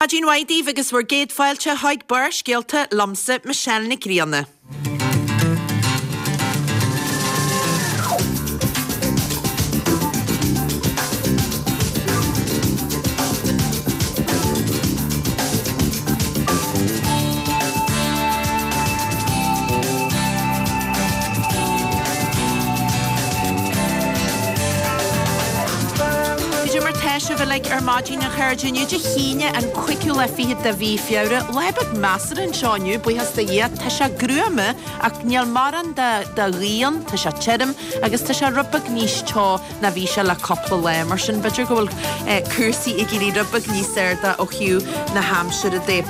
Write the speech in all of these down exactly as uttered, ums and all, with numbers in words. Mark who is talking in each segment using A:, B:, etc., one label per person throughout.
A: Maidin mhaith daoibh agus bhur gcéad fáilte chuig Barrscéalta liomsa Michelle Nic Grianna. Cad é mar tá sibh uilig ar maidin a chairde inniu Dé hAoine an cúigiú lá fichead de mhí Feabhra. Lá beag measartha anseo inniu, buíochas do Dhia. Tá sé gruama ach níl mórán de de ghaoth ann, tá sé tirim agus tá sé rud beag níos teo ná bhí sé le cúpla lá. Mar sin b'fhéidir go bhfuil cúrsaí ag éirí rud beag níos airde ó thaobh na haimsire de.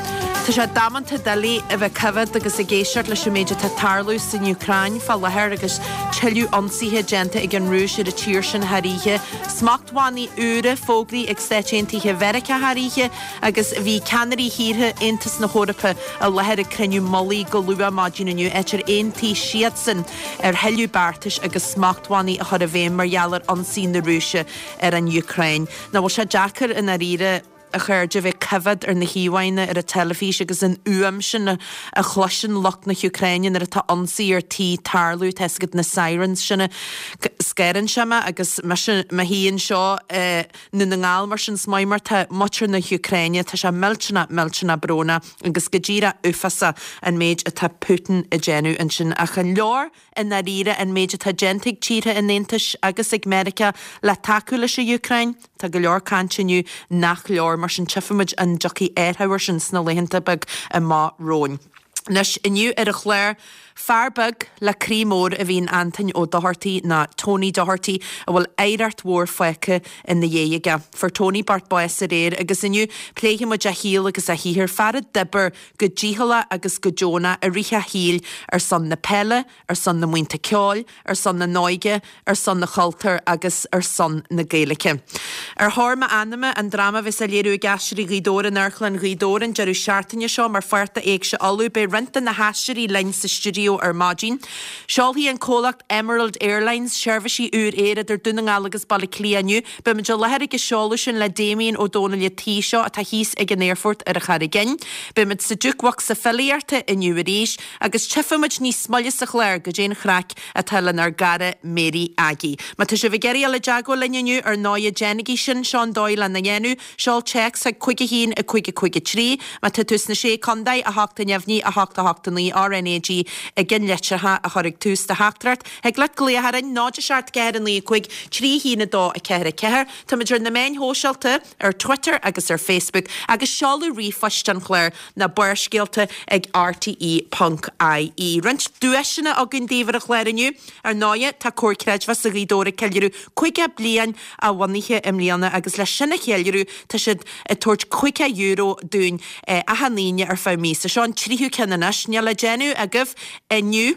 A: Tá sé damanta doiligh a bheith coimhéad agus ag éisteacht leis an méid atá ag tarlú san Úcráin fá láthair agus tuilleadh ionsaithe déanta ag an Rúis ar an tír sin thar oíche. Smachtbhannaí úra fógraithe ag Stáit Aontaithe Mheiriceá thar oíche agus bhí ceannairí thíortha Aontas na hEorpa i láthair ag cruinniú mullaigh go luath maidin inniu, áit ar aontaigh siadsan ar thuilleadh beartais agus smachtbhannaí a chur i bhfeidhm mar gheall ar ionsaí na Rúise ar an Úcráin. Nach bhfuil sé deacair i ndáiríre, a chairde, a bheith coimhéad ar na híomhánna ar an teilifís agus an fhuaim sin a chloiseann lucht na hÚcráine nuair atá ionsaí ar tí tarlú, tá 'fhios agat na sirens sin. Scanraíonn sé mé agus mise mo shuí anseo i nDún na nGall mar sin is maith mar tá muintir na hÚcráine, tá sé millteanach, millteanach brónach agus go díreach uafásach an méid atá Putin ag déanamh ansin. Ach an leor i ndáiríre an méid atá déanta ag tíortha an Aontais agus ag Meiriceá le tacú leis an Úcráin? Tá go leor cainte inniu nach leor, mar sin tchífimid an dtiocfaidh athrú air sin sna laethanta beag amach romhainn. Anois, inniu ar an chlár, fear beag le croí mór a bhí in Antoin Ó Dochartaigh, nó Tony Doherty, a bhfuil oidhreacht mhór fágtha ina dhiaidh aige. Fuair Tony bocht bás aréir agus inniu pléifimid a shaol agus a shaothar, fear a d'oibir go dícheallach agus go deonach i rith a shaoil ar son na peile, ar son na mbuíonta ceoil, ar son na n-óige, ar son na chultúir agus ar son na Gaeilge. Ar Thóir M'Anama, an dráma a bheas á léiriú ag Aisteoirí Ghaoth Dobhair in Amharclann Ghaoth Dobhair an deireadh seachtaine seo mar pháirt d'Éigse Uladh, beidh roinnt de na haisteoirí linn sa stiúideo ar maidin. Seolfaidh an comhlacht Emerald Airlines seirbhísí úr aeir idir Dún na nGall agus Baile Átha Cliath inniu. Beimid i láthair ag an seoladh sin le Damien Ó Dónaill an tí seo atá thíos ag an aerfort ar an Charraig Fhinn. Beimid sa Jukebocsa Filíochta inniu arís agus tchífimid níos moille sa chlár goidé an chraic atá lenár gcara Mary Aggie. Má tá sibh ag iarraidh dul i dteagmháil linn inniu, ar ndóighe déanaigí sin, seo an dóigh lena dhéanamh, seol téacs chuig cúig a haon a cúig a cúig a trí. Má tá tú sna Sé Contae, a hocht a neamhní, a hocht a hocht a naoi, RnaG i gceannlitreacha a chur ag tús do theachtaireacht. Thig leat glaoch orainn, náid a seacht ceathair a naoi a cúig trí a haon a dó a ceathair a ceathair. Táimid ar na meáin shóisialta, ar Twitter agus ar Facebook, agus seoladh ríomhphoist an chláir ná Barrscéalta ag rte ponc ie. Roinnt duaiseanna againn daoibh ar an chlár inniu. Ar ndóighe, tá Comhar Creidmheasa Ghaoth Dobhair ag ceiliúradh caoga bliain a bhunaithe i mbliana agus le sin a cheiliúradh tá siad ag tabhairt caoga euro dúinn achan Aoine ar feadh míosa. Seo an tríú ceann anois. Níl le déanamh agaibh inniu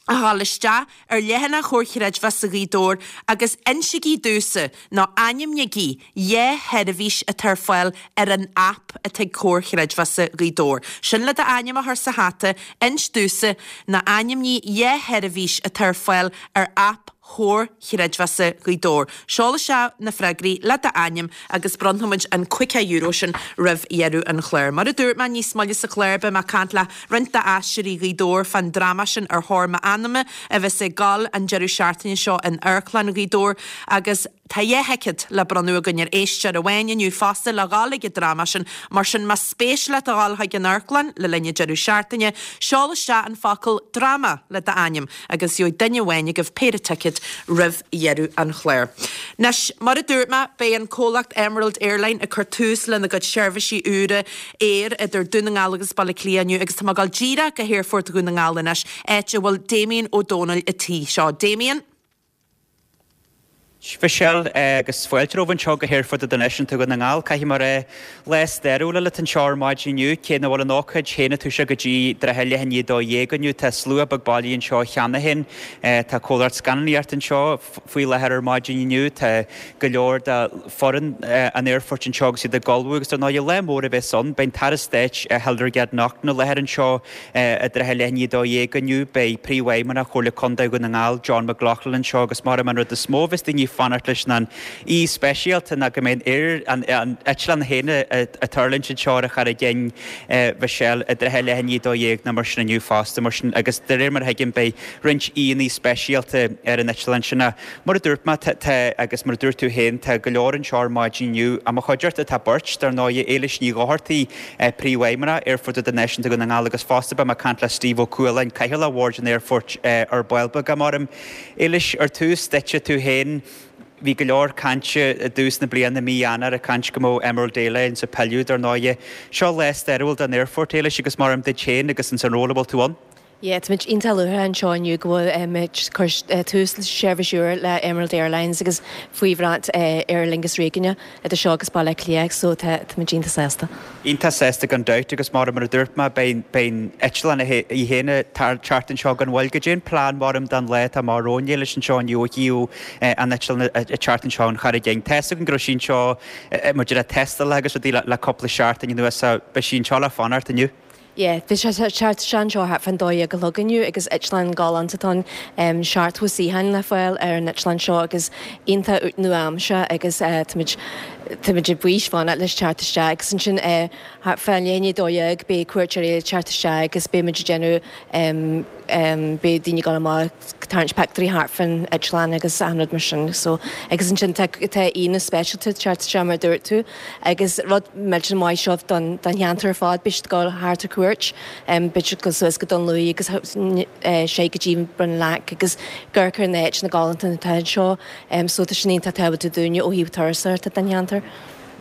A: ach a dhul isteach ar leathanach Chomhar Chreidmheasa Ghaoth Dobhair agus insigí domhsa, nó ainmnigí, dhá sheirbhís atá ar fáil ar an aip atá ag Comhar Chreidmheasa Ghaoth Dobhair. Sin le d'ainm a chur sa hata, inis domhsa, nó ainmnigh dhá sheirbhís atá ar fáil ar aip Chomhar Chreidmheasa Ghaoth Dobhair. Seol isteach na freagraí le d'ainm agus bronnfaimid an caoga euro sin roimh dheireadh an chláir. Mar a dúirt mé, níos moille sa chlár beidh mé ag caint le roinnt d'Aisteoirí Ghaoth Dobhair fán dráma sin Ar Thóir M'Anama a bheas ag gabháil an deireadh seachtaine seo in Amharclann Ghaoth Dobhair agus tá dhá thicéad le bronnadh againn ar éisteoir amháin inniu fosta le dhul ag an dráma sin. Mar sin más spéis leat a dhul chuig an amharclann le linn an deireadh seachtaine, seol isteach an focal 'dráma' le d'ainm agus gheobhaidh duine amháin agaibh péire ticéad roimh dheireadh an chláir. Anois, mar a dúirt mé, beidh an comhlacht Emerald Airline ag cur tús lena gcuid seirbhísí úra aeir idir Dún na nGall agus Baile Átha Cliath inniu agus tá mé ag dul díreach go hAerfort Dhún na nGall anois, áit a bhfuil Damien Ó Dónaill an tí seo. Damien?
B: Michelle, Agus fáilte romhaibh anseo go hAerfort Idirnáisiúnta Dhún na nGall. Caithfidh mé a rá, lá stairiúil eile atá anseo ar maidin inniu, cé nach bhfuil an ócáid féin ag toiseacht go dtí i dtrátha leath i ndiaidh a dó dhéag inniu. Tá slua beag bailithe anseo cheana féin. Tá comhlacht scannánaíochta anseo faoi láthair ar maidin inniu. Tá go leor de foireann an aerfoirt anseo agus iad ag ullmhú agus dar ndóigh lá mór a bheas ann. Beidh an tAire Stáit Hildegarde Naughton i láthair anseo i dtrátha leath i ndiaidh a dó dhéag inniu. Beidh Príomhfheidhmeannach Chomhairle Contae Dhún na nGall, John McLaughlin anseo agus mar an rud is mó a bheas daoine fanacht leis an aoi speisialta ná go mbeidh aer an an eitleán féin ag tuirlingt anseo ar Charraig Fhinn Mhichelle i dtrátha leath i ndiaidh a dó dhéag nó mar sin inniu fosta mar sin agus de réir mar a thuigim beidh roinnt aíonna speisialta ar an eitleán sin. Mar a dúirt mé tá agus mar a dúirt tú féin tá go leor anseo ar maidin inniu i mo chuideachta tá beirt dar ndóigh Éilis Ní Dhochartaigh Príomhfheidhmeannach Aerfort Idirnáisiúnta Dhún na nGall agus fosta beidh mé ag caint le Steve Ó Cualáin Cathaoirleach Bhord an Aerfoirt ar ball beag maram. Éilis ar tús duitse tú féin bhí go leor cainte i dtús na bliana mí Eanáir ag caint go mbeadh Emerald Airlines ag pilleadh dar ndóigh. Seo lá stairiúil don aerfort Éilis agus maram duit féin agus an san ról a bhfuil tú ann.
C: Yeah, Tá muid iontach lúcháireach anseo inniu go bhfuil muid cur tús le seirbhís úr le Emerald Airlines agus faoi bhrat Aer Lingus Réigiúnach idir seo agus Baile Átha Cliath, so tá muid iontach sásta.
B: Iontach sásta gan dabht agus mar mar a dúirt mé beidh eitleán í féin teacht anseo gan mhoill goidé an plean maram don lá atá amach romhainn Éilis anseo inniu ó thaobh an eitleán teacht anseo an Charraig Fhinn. Tá a fhios agam go raibh sí anseo muid le tástáil agus rudaí le cúpla seachtain anuas beidh sí anseo le fanacht inniu.
C: Yeah, bhí sé teacht anseo thart fán dó dhéag a chlog inniu agus eitleán galánta atá ann seachtó suíochán le fáil ar an eitleán seo agus iontach nua-aimseartha agus táimid táimid ag bís fanacht leis teacht isteach agus ansin thart fá leath i ndiaidh a dó dhéag beidh cuairteoirí ag teacht isteach agus beidh muid ag déanamh beidh daoine ag dul amach tarraingt pictiúirí thart fán eitleán agus achan rud mar sin so agus ansin tá tá aíonna speisialta teacht isteach mar dúirt tú agus rud millteanach maith seo don don cheantar ar fad beidh siad ag dul thart ar cuairt beidh siad ag dul suas go Dún Lúiche agus sé go dtí Bun Leac agus amharc ar na háiteanna galánta atá anseo so tá sin iontach tábhachtach dúinne ó thaobh turasóireachta den cheantar.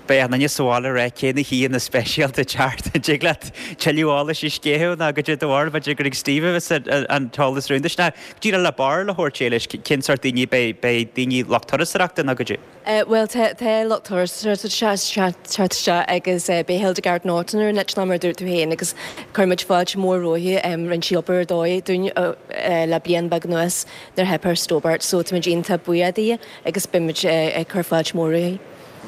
B: Beidh an duine sa bhaile rá cé na haíonna speisialta teacht dtig leat tuilleadh eolais a sceitheadh ná goidé do bharúil b'fhéidir gur ag Steve a bheas an t-eolas rúnda sin. Díreach le barúil a thabhairt Éilis cén sórt daoine beidh beidh daoine lucht turasóireachta nó goidé.
C: Well tá lucht turasóireachta teacht isteach agus beidh Hildegarde Naughton ar an eitleán mar dúirt tú féin agus chuir muid fáilte mór roimpi rinne sí obair ar dóigh dúinn le bliain beag anuas nuair a theip ar Stobart so táimid iontach buíoch di agus beidh muid ag cur fáilte mór roimpi.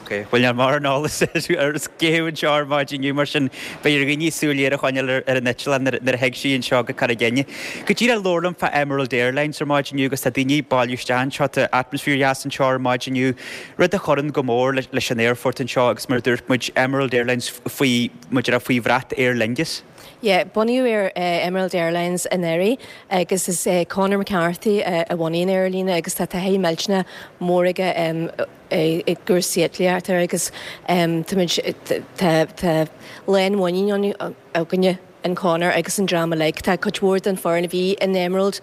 B: Ok, bhuel níl mórán eolas ar scéim anseo ar maidin inniu mar sin beidh ar dhaoine súil ghéar a choinneáil ar an eitleán nuair a thig sí anseo go Carraig Fhinne. Go díreach labhair liom fá Emerald Airlines ar maidin inniu agus tá daoine ag bailiú isteach anseo, tá atmaisféar dheas anseo ar maidin inniu, rud a chuireann go mór leis an aerfort anseo agus mar a dúirt muid Emerald Airlines faoi muid faoi bhrat Aer Lingus.
C: Yeah, bunaíodh ar Emerald Airlines anuraidh agus is é Conor McCarthy a bhunaigh an aerlíne agus tá taithí millteanach mór aige i gcúrsaí eitlíochta agus tá lánmhuinín againne in Conor agus an dream uilig. Tá cuid mhór den foireann a bhí in Emerald,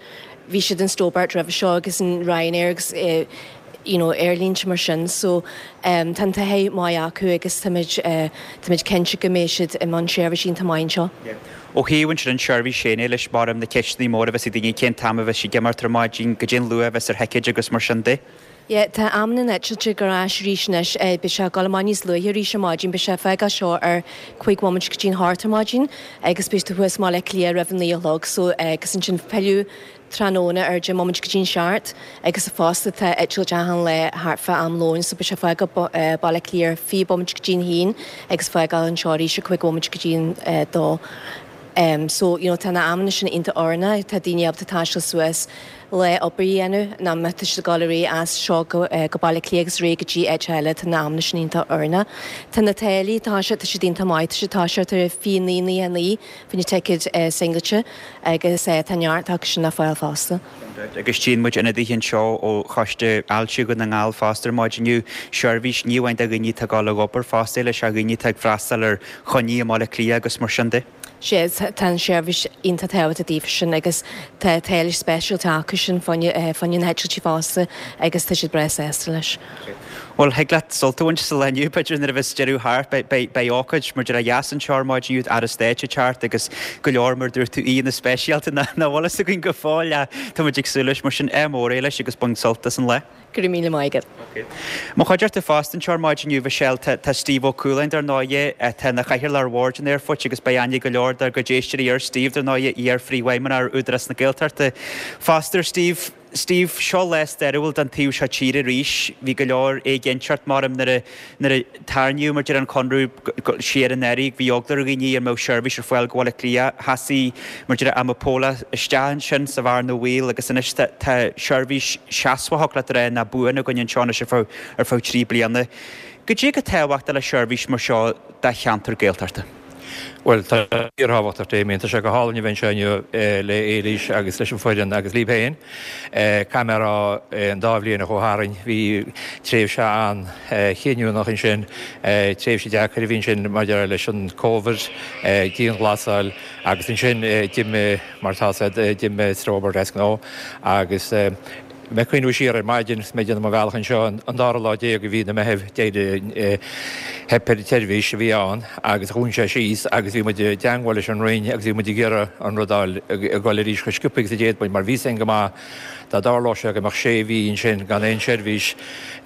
C: bhí siad in Stobart roimhe seo agus in Ryanair agus you know, aerlínte mar sin so um, tá an taithí maith acu agus táimid uh, táimid cinnte go mbeidh siad i mbun seirbhísí iontach maith anseo.
B: Yeah. Ó thaobh sin an seirbhís sin leis mar na ceisteanna móra a bheas ag daoine cén t-am a bheas sí ag imeacht ar maidin goidé an luath a bheas ar thicéid agus mar sin de.
C: Yeah, tá am na n-eitiltí ar ais arís anois beidh sé ag dul amach níos luaithe arís ar maidin, beidh sé ag fágáil seo ar cúig bhomaite go dtí an hocht ar maidin agus beidh tú thuas i mBaile Átha Cliath roimh an naoi a chlog so agus ansin pilleadh tráthnóna ar deich mbomaite go dtí an seacht agus fosta tá eitilt achan lá thart fá am lóin so beidh sé ag fágáil Baile Átha Cliath fiche bomaite go dtí an haon agus fágáil anseo arís ar cúig bhomaite go dtí an dó. Um, so you know, tá na amanna sin iontach oiriúnach, tá daoine ábalta taisteal suas le obair a dhéanamh ná má tá siad ag dul ar aghaidh as seo go, uh, go Baile Átha Cliath agus ar aghaidh go dtí áit eile tá na amanna sin iontach oiriúnach. Tá na táillí tá sé tá siad iontach maith, tá siad tá sé ar fiche naoi naoi naoi fá choinne ticéad uh, singailte agus uh, tá neart acu sin le fáil fosta.
B: Agus tchíonn muid ionadaithe anseo ó choiste Ailse Dhún na nGall fosta ar maidin inniu seirbhís ní amháin do dhaoine atá ag dul ag obair fosta leis a dhaoine atá ag freastal ar choinní i mBaile Átha Cliath agus mar sin de.
C: Sé tá an seirbhís iontach tábhachtach daofa sin agus tá táillí speisialta acu sin fá choinne na heitiltí fosta agus tá siad breá sásta leis.
B: Well thig leat sult a bhaint sa lá inniu b'fhéidir nuair a bheas deireadh thart beidh ócáid mar deir a dheas anseo ar maidin inniu Aire Stáit ag teacht agus go leor mar dúirt tú aíonna speisialta nach bhfuil fhios againn go fóill tá muid ag súil leis mar sin ádh mór leis agus bain sult as an lá.
C: Go raibh míle maith agat.
B: Mo chuideachta fosta anseo ar maidin inniu Michelle tá Steve Ó Cualáin dar ndóigh tá ina chathaoirleach ar bhord an aerfoirt agus beidh aithne go leor dár gcuid éisteoirí ar Steve dar ndóigh iar-phríomhfheidhmeannach ar Údarás na Gaeltachta. Fosta Steve Steve, seo lá stairiúil don taobh seo tíre arís, bhí go leor éiginnteacht mar nuair a nuair a tarraingíodh mar a deir an conradh siar anuraidh, bhí eagla ar dhaoine an mbeadh seirbhís ar fáil go Baile Átha Cliath, sheasaigh mar a deir Amapola isteach ansin sa bhearna bhaoil agus anois tá tá seirbhís seasmhach le rá ná buan againn anseo anois ar feadh ar feadh trí bliana. Goidé chomh tábhachtach le seirbhís mar seo do cheantar Gaeltachta.
D: Bhuel, tá fíorthábhachtach, Damien, tá sé go hálainn a bheith anseo inniu le Éilís agus leis an foireann agus libh féin. Caithfidh mé a rá an dá bhliain a chuaigh tharainn, bhí tréimhse an-chinniúnach ansin, tréimhse deacair a bhí ansin maidir leis an Covid, dianghlasáil agus ansin d'imigh, mar atá a fhios agat, d'imigh Strobert as gnó agus mé ag cuimhniú siar ar maidin is mé ag déanamh mo bhealach anseo an dara lá déag de mhí na Meithimh d'éirigh theip ar an tseirbhís a bhí ann agus dhún sé síos agus bhí muid i dteangmháil leis an Roinn agus bhí muid ag iarraidh an rud a fháil ag dul arís chomh sciobtha agus a d'fhéad muid mar bhí a fhios againn go maith dá dtarlódh sé go mbeadh sé mhí ansin gan aon seirbhís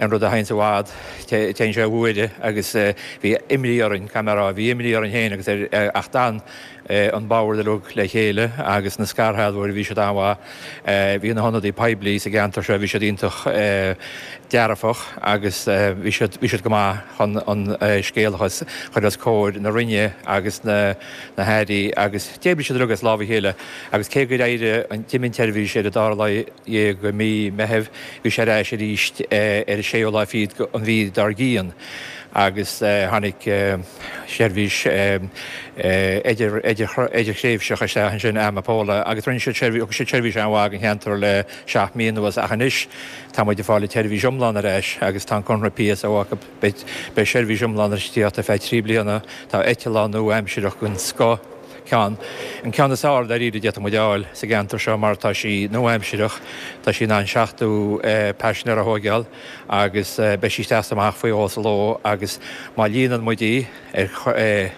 D: an rud a théanns i bhfad téann sé i bhfuaire agus bhí imní orainn caithfidh mé a rá bhí imní orainn féin agus ar ach d'fhan an bord uilig le chéile agus na scairshealbhóirí, bhí siad an-mhaith. Bhí na hionadaí poiblí sa gceantar seo, bhí siad iontach dearfach agus bhí siad, bhí siad go maith chun an scéal a chur os comhair na Roinne agus na na hairí agus d'oibrigh siad uilig as lámh a chéile agus cé gur éirigh an, d'imigh an tseirbhís ar an dara lá dhéag de mhí Meithimh, bhí sé ar ais arís ar an séú lá fichead an mhí dár gcionn. agus tháinig seirbhís idirthréimhseach isteach ansin, Amapola, agus rinne siad seirbhís, thug siad seirbhís an-mhaith don cheantar le seacht mí anuas ach anois tá muid ag fáil an tseirbhís iomlán ar ais agus tá an conradh PSO acu, beidh seirbhís iomlán ag tíocht ar feadh trí bliana, tá eitleán nua-aimsireach den scoth, ceann, an ceann is fearr dáiríre a d'fhéadfadh muid a fháil sa gceantar seo mar tá sí nua-aimsireach, tá sí in ann seachtó paisinéir a thóigeáil agus beidh sí isteach is amach faoi dhó sa ló agus má líonann muid í ar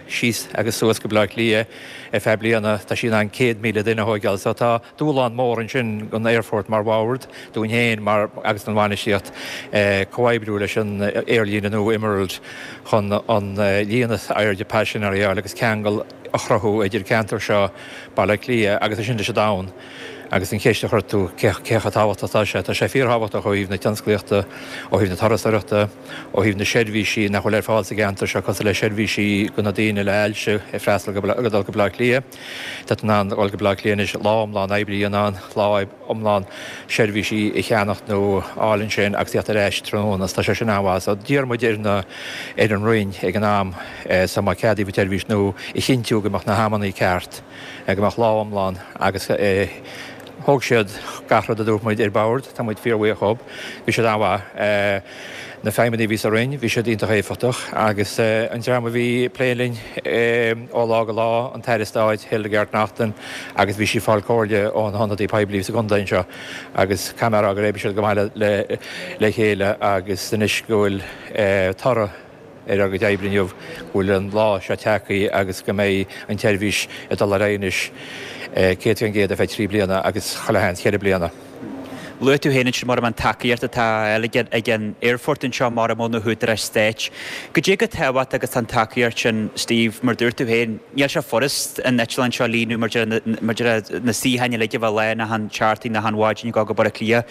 D: síos agus suas go Baile Átha Cliath ar feadh bliana tá sí in ann céad míle duine a thóigeáil so tá dúshlán mór ansin don aerfort mar bhord, dúinn féin mar agus don bhainistíocht comhoibriú leis an aerlíne nua Emerald chun an líon is airde paisinéirí a fháil agus ceangal a chruthú idir ceantar seo Baile Átha Cliath agus ansin leis an domhan. Agus an cheist a chuir tú, cé chomh tábhachtach atá sé? Tá sé fíorthábhachtach ó thaobh na tionsclaíochta, ó thaobh na turasóireachta, ó thaobh na seirbhísí nach bhfuil ar fáil sa gceantar seo cosúil le seirbhísí do na daoine le hailse ag freastal go ag dul go Baile Átha Cliath. Tá tú in ann dul go Baile Átha Cliath anois lá iomlán oibre a dhéanamh ann, lá iomlán seirbhísí a cheannacht nó a fháil ansin agus tíocht ar ais tráthnóna. Tá sé sin an-mhaith. So d'iarr muid ar na ar an Roinn ag an am so má ceadaíodh an tseirbhís nua a chinntiú go mbeadh na hamannaí ceart, go mbeadh lá iomlán agus thóg siad gach rud a dúirt muid ar bord. Tá muid fíorbhuíoch dhób. Bhí siad an-mhaith. Na feidhmeannaigh a bhí sa Roinn, bhí siad iontach éifeachtach agus an dream a bhí ag plé linn ó lá go lá, an tAire Stáit, Hildegarde Naughton agus bhí sí ag fáil comhairle ón hionadaí poiblí sa gcontae anseo agus caithfidh mé a rá gur oibrigh siad go maith le chéile agus anois go bhfuil toradh ar ár gcuid oibre inniu, go bhfuil an lá seo tagtha agus go mbeidh an tseirbhís ag dul ar aghaidh anois céad faoin gcéad ar feadh trí bliana agus chuile sheans ceithre bliana.
B: Luaigh tú féin ansin mar an tacaíocht atá á fháil ag an aerfort anseo mar ó na húdaráis stáit. Goidé chomh tábhachtach agus tá an tacaíocht sin, Steve, mar dúirt tú féin, níl sé furast an eitleán seo a líonadh mar deir na suíocháin uilig a bheith lán achan seachtain, achan mhaidin ag dul go Baile Átha Cliath.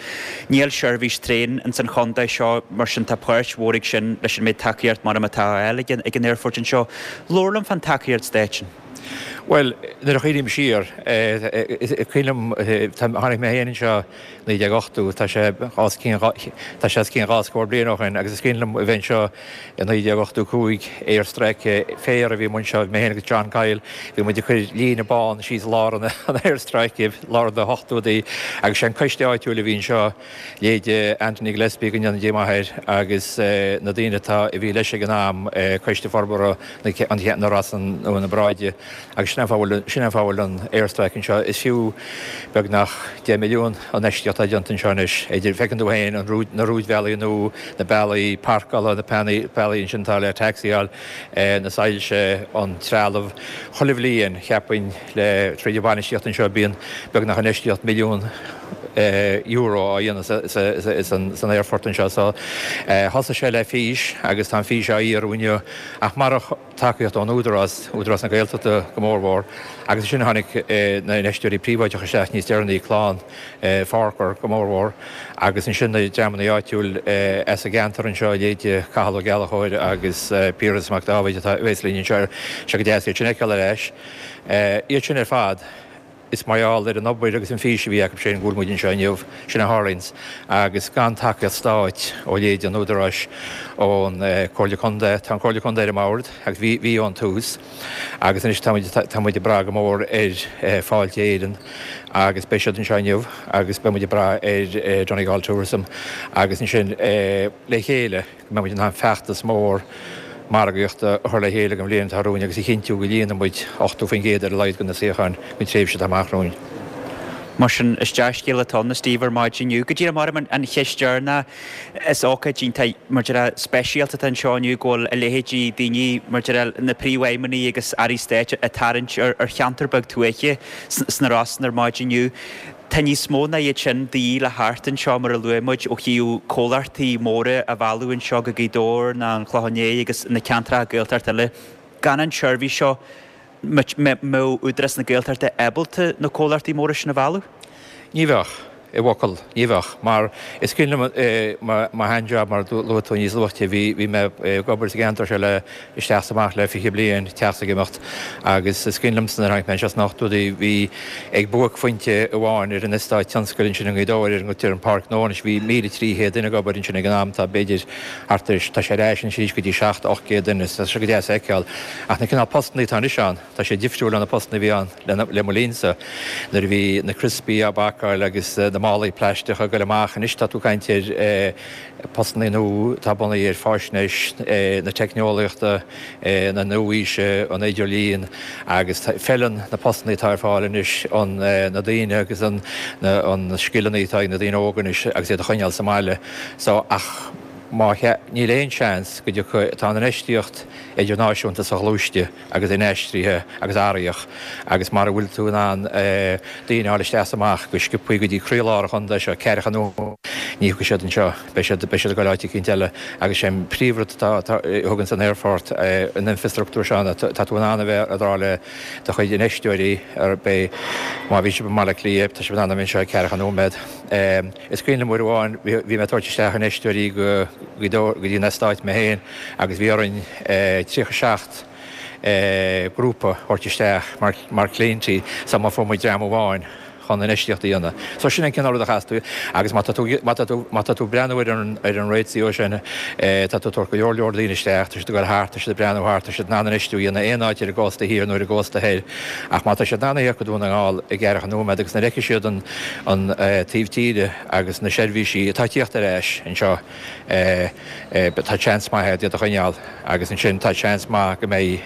B: Níl seirbhís traein ins an chontae seo, mar sin tá páirt mhór ag sin leis an méid tacaíocht mar atá á fháil ag an aerfort anseo. Labhair liom fán tacaíocht stáit sin.
D: Bhuel, nuair a chuimhním siar, is cuimhin liom, tháinig mé féin anseo naoi déag ochtó, tá sé os cionn, tá sé os cionn dhá scór bliain ó shin agus is cuimhin liom a bheith anseo i naoi déag ochtó cúig, aerstráice féir a bhí amuigh anseo, mé féin agus John Kyle, bhí muid ag cur líne bán síos lár an aerstráice, lár na hochtóidí agus sé an coiste áitiúil a bhí anseo, leithéide Anthony Gillespie, go ndéana Dia maith air, agus na daoine atá, a bhí leis ag an am, Coiste Forbartha na Rosann nó na Bráide agus sin an fáth a bhfuil, sin an fáth a bhfuil an aerstráice anseo. Is fiú beagnach deich milliún an infheistíocht atá déanta anseo anois, idir, feiceann tú féin an rúid, na rúidbhealaí nua, na bealaí páirceála, na bealaí ansin atá le tacsaíáil, na soilse, an trealamh. Chuile bhliain, cheapfainn, le, tríd an bhainistíocht anseo, bíonn beagnach infheistíocht milliún, euro á dhéanamh san aerfort anseo. So thosaigh sé le fís agus tá an fís á fhíorú inniu ach marach tacaíocht ón Údarás, Údarás na Gaeltachta go mórmhór, agus ansin tháinig na infheisteoirí príobháideacha isteach níos deireanaí, clann Farquhar go mórmhór, agus ansin na dreamanna áitiúil as an gceantar anseo, leithéidí Cathal Ó Gallchóir agus Piaras Mac Dáibhid atá a bheas linn anseo, sé go deas iad sin a fheiceáil ar ais. Iad sin ar fad. Is mar gheall ar an obair agus an fís a bhí acu sin go bhfuil muid anseo inniu. Sin a tharlaíonns. Agus gan tacaíocht stáit ó leithéid an Údaráis, ón Comhairle Contae, tá an Comhairle Contae ar an mbord agus bhí, bhí ón tús agus anois tá muid, tá muid ag brath go mór ar Fáilte Éireann agus beidh siad anseo inniu agus beidh muid ag brath ar Donegal Tourism agus ansin le chéile go mbeidh muid in ann feachtas mór margaíochta a chur le chéile don bhliain atá romhainn agus a chinntiú go líonann muid ochtó faoin gcéad ar a laghad de na suíocháin don tréimhse atá amach romhainn.
B: Mar sin, is dea-scéal atá ann, a Steve, ar maidin inniu. Go díreach mar an cheist deireanach, is ócáid iontach, mar a déarfá, speisialta atá anseo inniu go bhfuil a leithéidí daoine, mar a déarfá, na príomhfheidhmeannaigh agus airí stáit ag tarraingt ar cheantar beag tuaithe sna Rosann ar maidin inniu. Tá níos mó ná iad sin de dhíth le theacht anseo, mar a luaigh muid, ó thaobh comhlachtaí móra a mhealladh anseo go Gaoth Dobhair ná an Clochán Léith agus na ceantracha Gaeltachta eile. Gan an tseirbhís seo, mbeadh Údarás na Gaeltachta ábalta na comhlachtaí móra sin a mhealladh?
D: Ní bheadh. I bhfocal, ní bheadh. Mar is cuimhin liom mo shean-jab, mar a luaigh tú níos luaithe, bhí bhí mé ag obair sa gceantar seo le isteach is amach le fiche bliain, teacht is ag imeacht, agus is cuimhin liomsa nuair a tháinig mé anseo sna hochtóidí, bhí ag buaicphointe amháin ar an eastát tionscail ansin i nGaoth Dobhair ar a dtugtar an Páirc Gnó anois, bhí míle trí chéad duine ag obair ansin ag an am, tá b'fhéidir thart ar, tá sé ar ais anois arís go dtí seacht, ocht gcéad duine, tá sé go deas a fheiceáil. Ach na cineál postannaí atá anois ann, tá sé difriúil ó na postannaí a bhí ann le mo linnsa, nuair a bhí na criospaí á bpacáil agus na málaí plaisteacha ag goil amach. Anois tá tú ag caint ar postannaí nua atá bunaithe ar fáisnéis na teicneolaíochta, na nua-aoise, an idirlíon agus feileann na postannaí atá ar fáil anois an na daoine agus an na scileanna atá ag na daoine óga anois agus iad a choinneáil sa mbaile. So ach má níl aon seans go dtiocfaidh, tá an infheistíocht idirnáisiúnta soghluaiste agus inaistrithe agus athraitheach agus mara bhfuil tú in ann daoine a fháil isteach is amach go sciobthaí go dtí croílár an chontae seo, ceathracha nóiméad, ní thiocfaidh siad anseo, beidh siad, beidh siad ag dul áit eicínt eile agus sé an príomhrud atá, atá, a thuganns an aerfort, an infreastruchtúr seo ná tá tú in ann a bheith ag rá le do chuid infheisteoirí ar bith, má bhí sibh i mBaile Átha Cliath, tá sibh in ann a bheith anseo i ceathracha nóiméad. Is cuimhin liom uair amháin, bhí mé ag tabhairt isteach infheisteoirí go go dtí an eastát mé féin agus bhí orainn tríocha seacht grúpa a thabhairt isteach mar chliaintí sula bhfuair muid dream amháin chun infheistíocht a dhéanamh. So sin an cineál rud a chaithfeas tú agus má tá tú má tá tú má tá tú ag breathnú ar an ar an ratio sin tá tú ag tabhairt go leor leor daoine isteach, tá siad ag dul thart, tá siad ag breathnú thart, tá siad in ann infheistiú a dhéanamh aon áit ar an gcósta thiar nó ar an gcósta thoir ach má tá siad in ann a theacht go Dún na nGall i gceathracha nóiméad agus nuair a fheicfidh siad an an taobh tíre agus na seirbhísí atá ag tíocht ar ais anseo tá seans maith agat iad a choinneáil agus ansin tá seans maith go mbeidh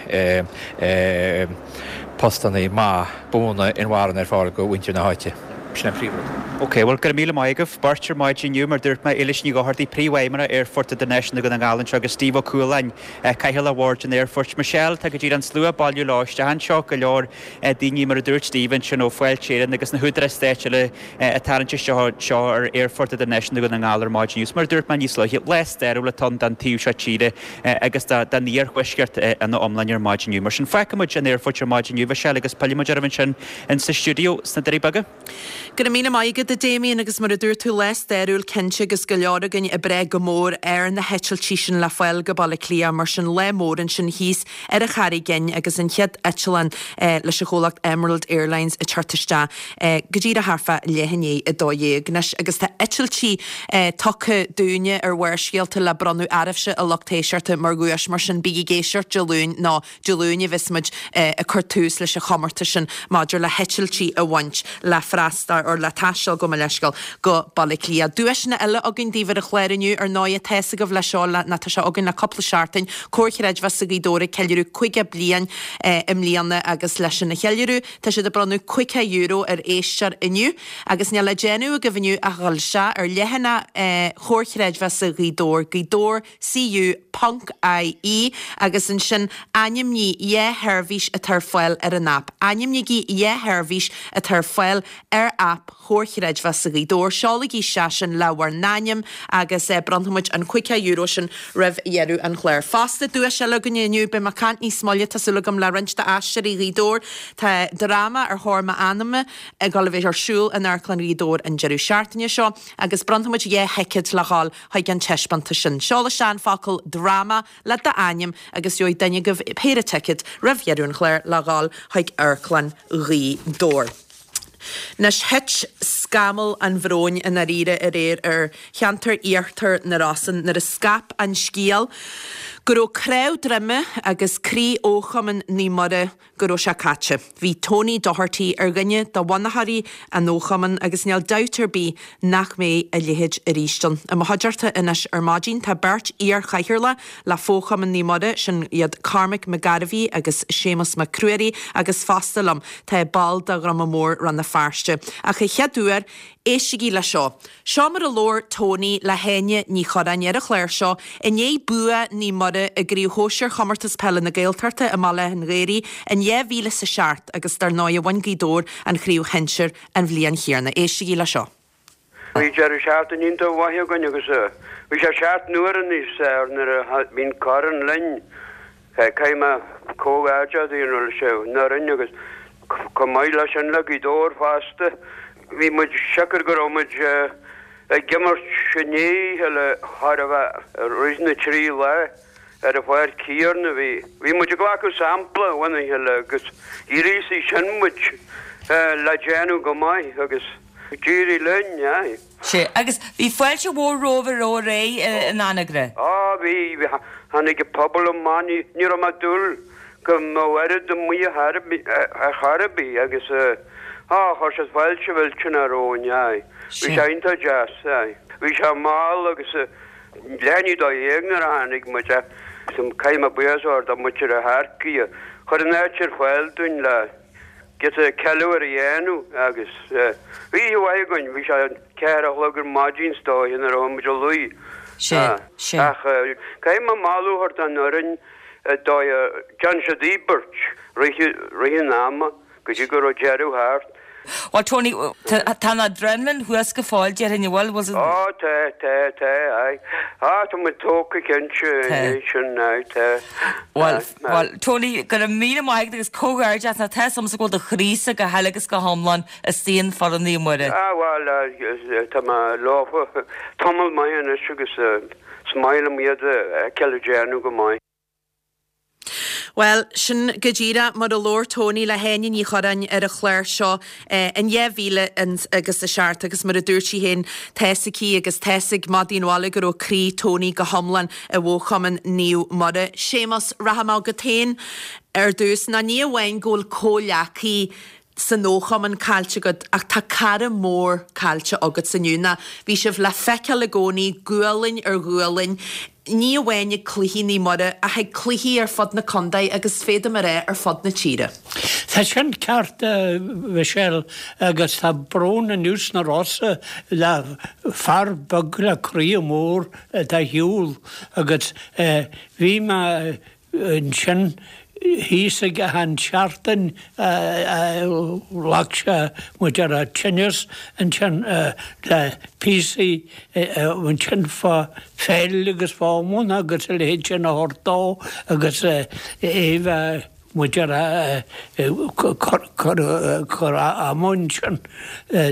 D: postannaí maith buana inmharthana ar fáil do mhuintir na háite. Sin an príomhrud.
B: Ok, bhuel, go raibh míle maith agaibh beirt ar maidin inniu, mar dúirt mé, Éilis Ní Dhochartaigh, Príomhfheidhmeannach Aerfort Idirnáisiúnta Dhún na nGall anseo agus Steve Ó Cualáin, Cathaoirleach Bhord an Aerfoirt. Michelle, tá go díreach an slua ag bailiú leo isteach anseo, go leor daoine, mar a dúirt Steve ansin, ó Fáilte Éireann agus na húdaráis stáit eile ag tarraingt isteach anseo ar Aerfort Idirnáisiúnta Dhún na nGall ar maidin inniu. Mar a dúirt mé níos luaithe, lá stairiúil atá ann don taobh seo tíre agus don iarthuaisceart ina iomláine ar maidin inniu. Mar sin, fágfaidh muid an aerfort ar maidin inniu, Michelle, agus pillfidh muid oraibh ansin in sa stiúideo sna Doirí Beaga.
A: Go raibh míle maith agat, a Damien, agus mar a dúirt tú, lá stairiúil cinnte agus go leor againn ag brath go mór ar na heitiltí sin le fáil go Baile Átha Cliath, mar sin lá mór ansin thíos ar an Charraig Fhinn agus an chéad eitleán leis an chomhlacht Emerald Airlines ag teacht isteach go díreach thart fá leath i ndiaidh a dó dhéag anois agus tá eitiltí tugtha dúinne ar Bharrscéalta le bronnadh oraibhse a lucht éisteachta mar dhuais mar sin bígí ag éisteacht Dé Luain nó Dé Luain a bheas muid ag cur tús leis an chomórtas sin maidir le heitiltí a bhaint le freastal or le taisteal gabh mo leithscéal go Baile Átha Cliath. Duaiseanna eile againn daoibh ar an chlár inniu ar ndóigh tá fhios agaibh leis seo le nó tá sé againn le cúpla seachtain Comhar Creidmheasa Ghaoth Dobhair ag ceiliúradh caoga bliain i mbliana agus leis sin a cheiliúradh tá siad ag bronnadh caoga euro ar éisteoir inniu agus níl le déanamh agaibh inniu ach dhul isteach ar leathanach Chomhar Creidmheasa Ghaoth Dobhair, Gaoth Dobhair CU ponc IE agus ansin ainmnigh dhá sheirbhís atá ar fáil ar an aip. Ainmnígí dhá sheirbhís atá ar fáil ar aip. aip Chomhar Chreidmheasa Ghaoth Dobhair. Seolaigí isteach sin le bhur n-ainm agus bronnfaidh muid an caoga euro sin roimh dheireadh an chláir. Fosta, duais eile againne inniu, beidh mé ag caint níos moille, tá súil agam, le roinnt d'aisteoirí Ghaoth Dobhair. Tá dráma Ar Thóir M'Anama ag dul a bheith ar siúl in Amharclann Ghaoth Dobhair an deireadh seachtaine seo agus bronnfaidh muid dhá thicéad le dhul chuig an taispeántas sin. Seol isteach an focal 'dráma' le d'ainm agus gheobhaidh duine agaibh péire ticéad roimh dheireadh an chláir le dhul chuig Amharclann Ghaoth Dobhair. Anois thit scamall an bhróin i ndáiríre aréir ar cheantar Iarthar na Rosann nuair a scaip an scéal go raibh cnámh droime agus croí Fhochumann Naomh Muire go raibh sé caite. Bhí Tony Doherty ar dhuine de bhunaitheoirí an fhochumainn agus níl dabht ar bith nach mbeidh a leithéid arís ann. I mo chuideachta anois ar maidin tá beirt iar-chathaoirleach le Fochumann Naomh Muire, sin iad Cormac Mac Gairbhí agus Séamus Mac Ruairí agus fosta liom tá ball de Dhruma Mór Rann na Feirste. Ach a chéad uair, éistigí le seo. Seo mar a labhair Tony le hÁine Ní Churráin ar an chlár seo i ndiaidh bua Naomh Muire i gCraobh Shóisir Chomórtas Peile na Gaeltachta i mBaile Átha an Ghaorthaidh in dhá mhíle is a seacht agus dar ndóigh bhain Gaoth Dobhair an chraobh shinsir an bhliain chéanna. Éistigí le seo.
E: Bhí deireadh seachtaine iontach mhaith againn agus bhí sé seacht n-uaire níos fearr nuair a bhí an corn linn. Caithfidh mé comhghairdeas a dhéanamh leis an fhoireann agus chomh maith leis sin le Gaoth Dobhair fosta. Bhí muid siocair go raibh muid ag imirt i ndiaidh a chéile chóir a bheith i rith na trí lá ar an pháirc chéanna. Bhí bhí muid ag glacadh sampla óna chéile agus ghríosaigh sin muid le déanamh go maith agus d'éirigh linn, aye.
F: Sea, agus bhí fáilte mhór romhaibh aréir in Anagaire.
E: Á, bhí, bhí, tháinig an pobal amach, ní ní raibh mé ag dúil go mbeadh oiread amuigh ar chor ar bith agus á, chuir siad fáilte mhillteanach romhainn, aye. Bhí sé iontach deas, aye. Bhí sé mall agus leath i ndiaidh a dó dhéag nuair a tháinig muid ach caithfidh mé buíochas a thabhairt do mhuintir Átha Earcaigh a chuir an áit ar fáil dúinn le giota ceiliúradh a dhéanamh agus bhí oíche mhaith againn, bhí sé ceathair a chlog ar maidin is dóiche nuair a chuaigh muid a luí. Ach caithfidh mé moladh a thabhairt don fhoireann dóigh a dtearn siad íobairt rith an ama go dtí go raibh deireadh thart.
F: Bhuel Tony, tá an adrenaline thuas go fóill déarfainn, an bhfuil? Was it?
E: Ó tá, tá, tá, aye. Á tá muid tógtha cinnte
F: Tá.
E: sin, aye, tá.
F: Bhuel,
E: Aye, aye.
F: bhuel, Tony, go raibh míle maith agat agus comhghairdeas nó tá a fhios agamsa go bhfuil do chroísa go huile agus go hiomlán istigh in foireann Naomh Muire.
E: Ah bhuel, eh, tá mé leofa tamall maith anois agus eh, is maith liom iad a fheiceáil ag déanamh go maith.
A: Bhuel, sin go díreach mar a labhair Tony le hÁine Ní Churráin ar an chlár seo in dhá mhíle agus a seacht agus mar a dúirt sí féin, tá's aici agus tá's ag madaí an bhaile go raibh croí Tony go hiomlán i bhFochumann Naomh Muire. Séamus, rachaidh mé chugat féin ar dtús, ná ní amháin go bhfuil comhghleacaí san fhochumann caillte agat ach tá cara mór caillte agat inniu ná bhí sibh le feiceáil i gcónaí gualainn ar ghualainn, ní amháin ag cluichí Naomh Muire ach ag cluichí ar fud na contae agus féadaim a rá ar fud na tíre.
G: Tá sin ceart Michelle agus tá brón inniu sna Rosa le fear beag le croí mór atá ar shiúl agus bhí mé ansin thíos ag an seachtain ghlac sé muid ar a tinneas ansin le píosaí ansin fá pheil agus fá iomáint agus a leithéid sin a thabhairt dó agus é bheith muid ar cur ama ansin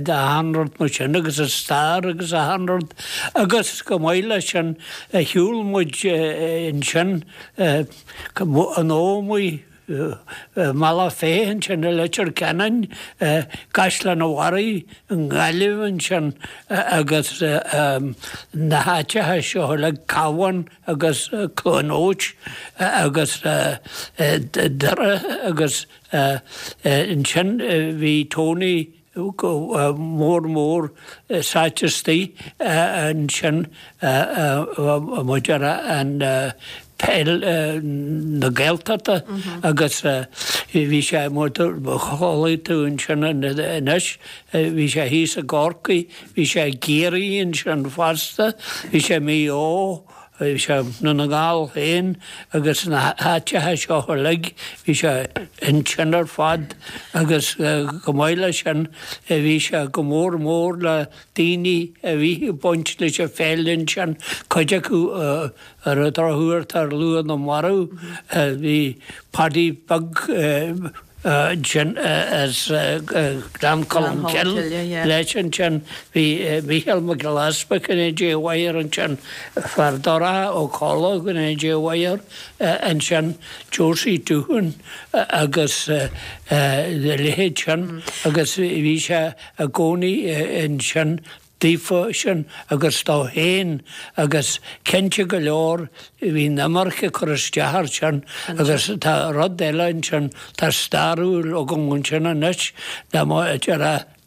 G: d'achan rud mar sin agus a stair agus achan rud agus go maith leis sin shiúil muid ansin an Ómaigh Mala Féith ansin i Leitir Ceanainn, Caisleán an Bharraigh i nGaillimh ansin agus na háiteacha seo uilig, Cabhán agus Cluain Eois agus Doire agus ansin bhí Tony mór mór sáite istigh ansin muid ar an peil na Gaeltachta agus bhí sé mar chuala tú ansin anois, bhí sé thíos i gCorcaigh, bhí sé i gCiarraí ansin fosta, bhí sé i Maigh Eo, bhí sé i nDún na nGall féin agus na háiteacha seo uilig, bhí sé ansin ar fad agus chomh maith leis sin bhí sé go mór mór le daoine a bhí ag baint leis an pheil ansin, cuid acu ar an drochuair tá ar lua na marbh, bhí Paddy Beag ansin as Gleann Cholm Cille leis ansin, bhí Mícheál Mac Giolla Easpaig go ndéana Dia a mhaith air ansin, fear Dorcha Ó Colla go ndéana Dia a mhaith air ansin, Josie Doohan agus a leithéid sin agus bhí sé i gcónaí ansin daofa sin agus dó féin agus cinnte go leor bhí an iomarca cur isteach air sin agus tá rud eile ansin, tá stairiúil agam ansin anois dá mba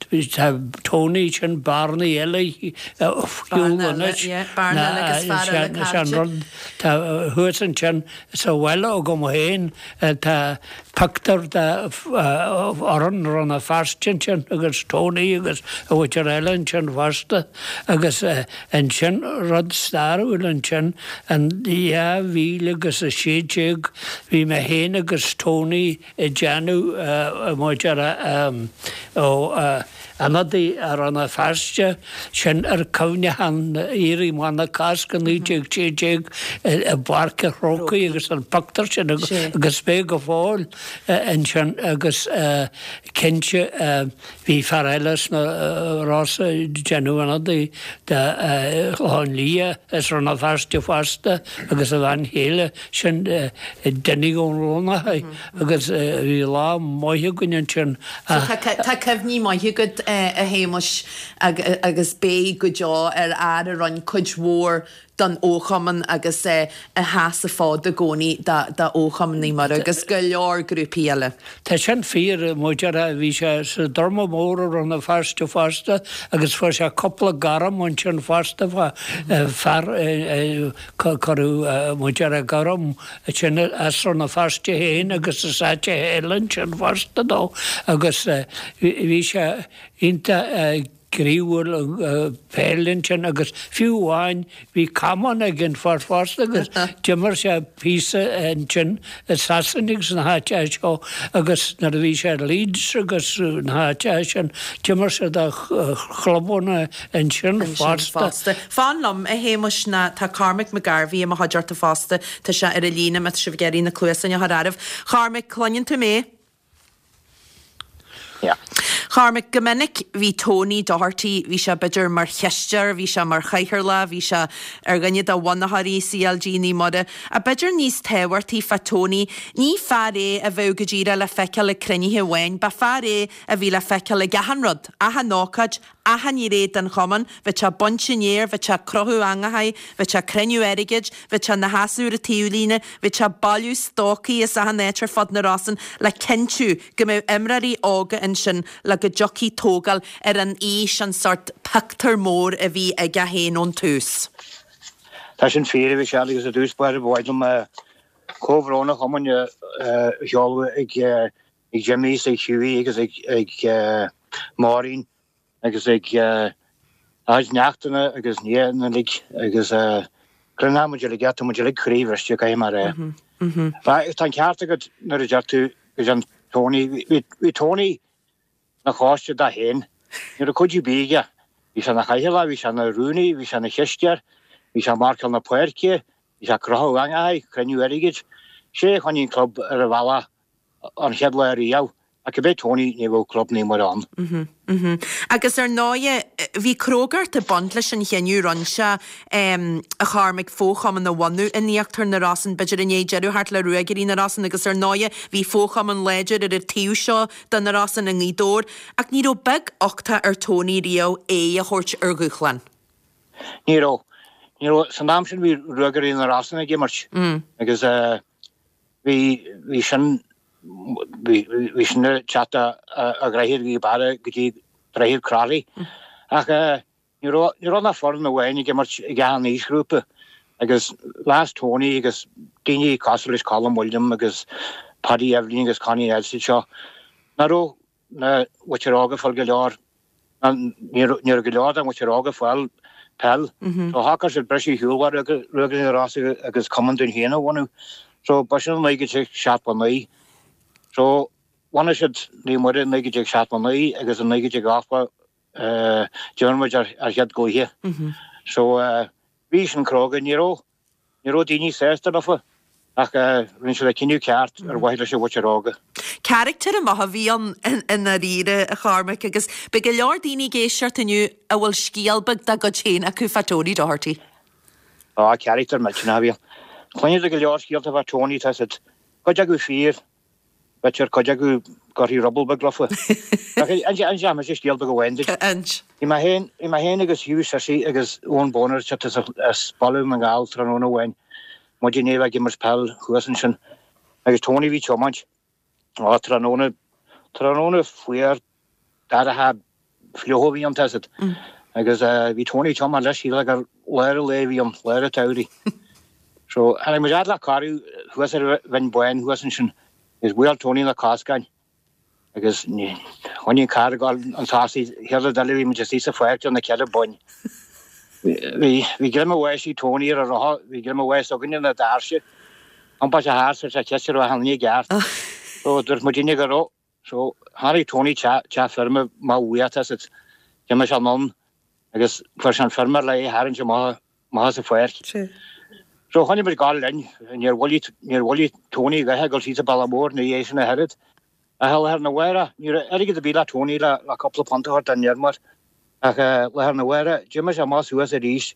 G: tá Tony sin bearnaí eile fiú anois an rud tá thuas ansin sa bhaile agam féin tá pictiúr de fhoireann Rann na Feirste ansin agus Tony agus a mhuintir eile ansin fosta agus ansin rud stairiúil ansin in dhá mhíle agus a sé déag bhí mé féin agus Tony ag déanamh muid ó ionadaí Rann na Feirste sin ar cuimhneachán Éirí Amach na Cásca naoi déag sé déag i bPáirc an Chrócaigh agus an pictiúr sin agus beidh go fóill ansin agus cinnte bhí fear eile sna Rosa ag déanamh ionadaí de Chlochán Liath as Rann na Feirste fosta agus a bhean chéile sin Dinny Ó Lonacháin agus bhí lá maith againn ansin.
A: Tá cuimhní maithe agat a Shéamais agus beidh go deo ar fhear a rinne cuid mhór don fhochumann agus a sheas an fód i gcónaí do fhochumann Naomh Muire agus go leor grúpaí eile.
G: Tá sin fíor, mar a déarfá, bhí sé sa Druma Mór i Rann na Feirste fosta agus fuair sé cúpla gairm ansin fosta, fear cuireadh mar a déarfá gairm ansin as Rann na Feirste féin agus as áiteacha eile ansin fosta dó agus bhí sé iontach gníomhúil peil ansin agus fiú amháin bhí camán ag an fear fosta agus d'imir sé píosa ansin i Sasana agus na háiteacha seo agus nuair a bhí sé ar Leeds agus na háiteacha sin d'imir sé do chlubanna ansin fosta.
A: Fan liom, a Shéamais, ná tá Cormac McGarvey i mo chuideachta fosta, tá sé ar an líne má tá sibh ag iarraidh na cluasáin a chur oraibh. Chormaic, cluineann tú mé? Chormaic, go minic bhí Tony Doherty, bhí sé b'fhéidir mar chisteoir, bhí sé mar chathaoirleach, bhí sé ar dhuine de bhunaitheoirí CLG Naomh Muire. Ach b'fhéidir níos tábhachtaí fá Tony, ní fear é a bheadh go díreach le feiceáil ag cruinnithe amháin, ba fear é a bhí le feiceáil ag achan rud, achan ócáid, achan ghné den chumann, bheadh sé ag baint an fhéir, bheadh sé ag crochadh eangachaí, bheadh sé ag cruinniú airgid, bheadh sé ina sheasamh ar an taobhlíne, bheadh sé ag bailiú stocaí as achan áit ar fud na Rosann le cinntiú go mbeadh imreoirí óga ansin le go dtiocfaidh tógáil ar an fhís, an sórt pictiúr mór a bhí aige féin ón tús.
H: Tá sin fíor, a Mhichelle, agus i dtús báire ba mhaith liom comhbhrón an chumainn a sheoladh ag Jimmy is ag Hughie agus ag Maureen agus ag a gcuid neachtanna agus nianna uilig agus cluinfidh muid uilig é, tá muid uilig croíbhriste, caithfidh mé a rá. Tá an ceart agat nuair a deir tú go dtéann Tony, bhí Tony ina choiste dó féin, ní raibh cuid ar bith aige, bhí sé ina chathaoirleach, bhí sé ina rúnaí, bhí sé ina chisteoir, bhí sé ag marcáil na páirce, bhí sé ag crochadh eangachaí, cruinniú airgid, sé a choinnigh an club ar a bhealach an chéad lá riamh, ach cibé Tony, ní bheadh Club Naomh Muire
A: ann. Agus ar ndóighe, bhí crógacht ag baint leis an chinneadh a rinne sé, a Chormaic, fochumann a bhunú in íochtar na Rosann, b'fhéidir i ndiaidh deireadh a theacht le Ruagairí na Rosann agus ar ndóighe, bhí fochumann láidir ar an taobh seo de na Rosann i nGaoth Dobhair, ach ní raibh beag uchtach ar Tony riamh aghaidh a thabhairt ar dhúshlán.
H: Ní raibh. Ní raibh. San am sin bhí Ruagairí na Rosann ag imirt agus bhí, bhí sin, bhí sin ag teacht ó Dhroichead Ghaoth Beara go dtí Droichead Crotty. Ach ní raibh, ní raibh ach foireann amháin ag imirt ag achan aoisghrúpa agus mheas Tony agus daoine cosúil leis Colm William agus Paddy Eibhlín agus Connie Nelson seo nach raibh na mhuintir óg ag fáil go leor, ní raibh go leor den mhuintir óg ag fáil peil. So shocraigh siad briseadh ar shiúl Ruagairí na Rosa agus cumann dúinn féin a bhunú. So ba sin naoi déag déag seachtó naoi. So bhunaigh siad Naomh Muire i naoi déag déag seachtó naoi agus i naoi déag déag ochtó d'imir muid ár chéad gcluiche. So bhí sin cróga, ní raibh ní raibh daoine sásta leofa ach rinne siad an cinneadh ceart ar mhaithe leis an mhuintir óga.
A: Carachtar maith a bhí ann i ndáiríre, a Chormaic, agus beidh go leor daoine ag éisteacht inniu a bhfuil scéal beag dá gcuid féin acu fá Tony Doherty.
H: Á, carachtar millteanach a bhí ann. Cluineann tú go leor scéalta fá Tony, tá siad, cuid acu fíor, b'fhéidir cuid acu gcuirfí ruball beag leofa. Ach inseoidh mise scéal beag amháin duit.
A: Inis.
H: Bhí mé féin, bhí mé féin agus Hugh Sissy agus Eoin Boner ag teacht as Baile Dhún na nGall tráthnóna amháin, muid i ndiaidh a bheith ag imirt peil thuas ansin, agus Tony a bhí ag tiomáint. Á, tráthnóna, tráthnóna fuar, dorcha, fliuch a bhí ann, tá 'fhios a'd. Agus bhí Tony ag tiomáint leis, shílfeá gur lár an lae a bhí ann, lár an tsamhraidh. So, tháinig muid fhad le cara thuas ar Bhinn Bhán thuas ansin, agus bhuail Tony na coscáin agus choinnigh an carr ag dul chun tosaigh, chéad rud eile bhí muid istigh sa pháirc ar na ceithre boinn. Bhí, bhí greim an bháis ag Tony ar an rothar, bhí greim an bháis againne ar na doirse. Iompaigh sé thart, chuir sé ceist an raibh achan duine i gceart. So, dúirt muidinne go raibh. So, tháinig Tony teach, teach feirme maith uaidh, tá 'fhios a'd. D'imigh sé anonn agus fuair sé an feirmeoir le é a tharraingt amach, amach as an pháirc. So, choinnigh muid ag gabháil linn, níor mhoilligh, níor mhoilligh Tony a dhath ag dul síos an bealach mór ina dhiaidh sin ach oiread. Ach lá arna mhárach, ní raibh airgead ar bith le Tony le, le cúpla punt a thabhairt don fheirmeoir. Ach lá arna mhárach, d'imigh sé amach suas arís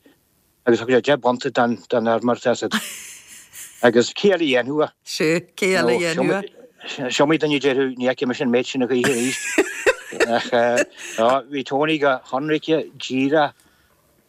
H: agus thug sé deich bpunt don, don fheirmeoir, tá 'fhios a'd. Agus cé eile a dhéanfadh é?
A: Sea, cé eile a dhéanfadh é?
H: Is iomaí duine a déarfadh, ní fheicfidh mise an méid sin a choíche arís. Ach bhí Tony go hionraice, díreach,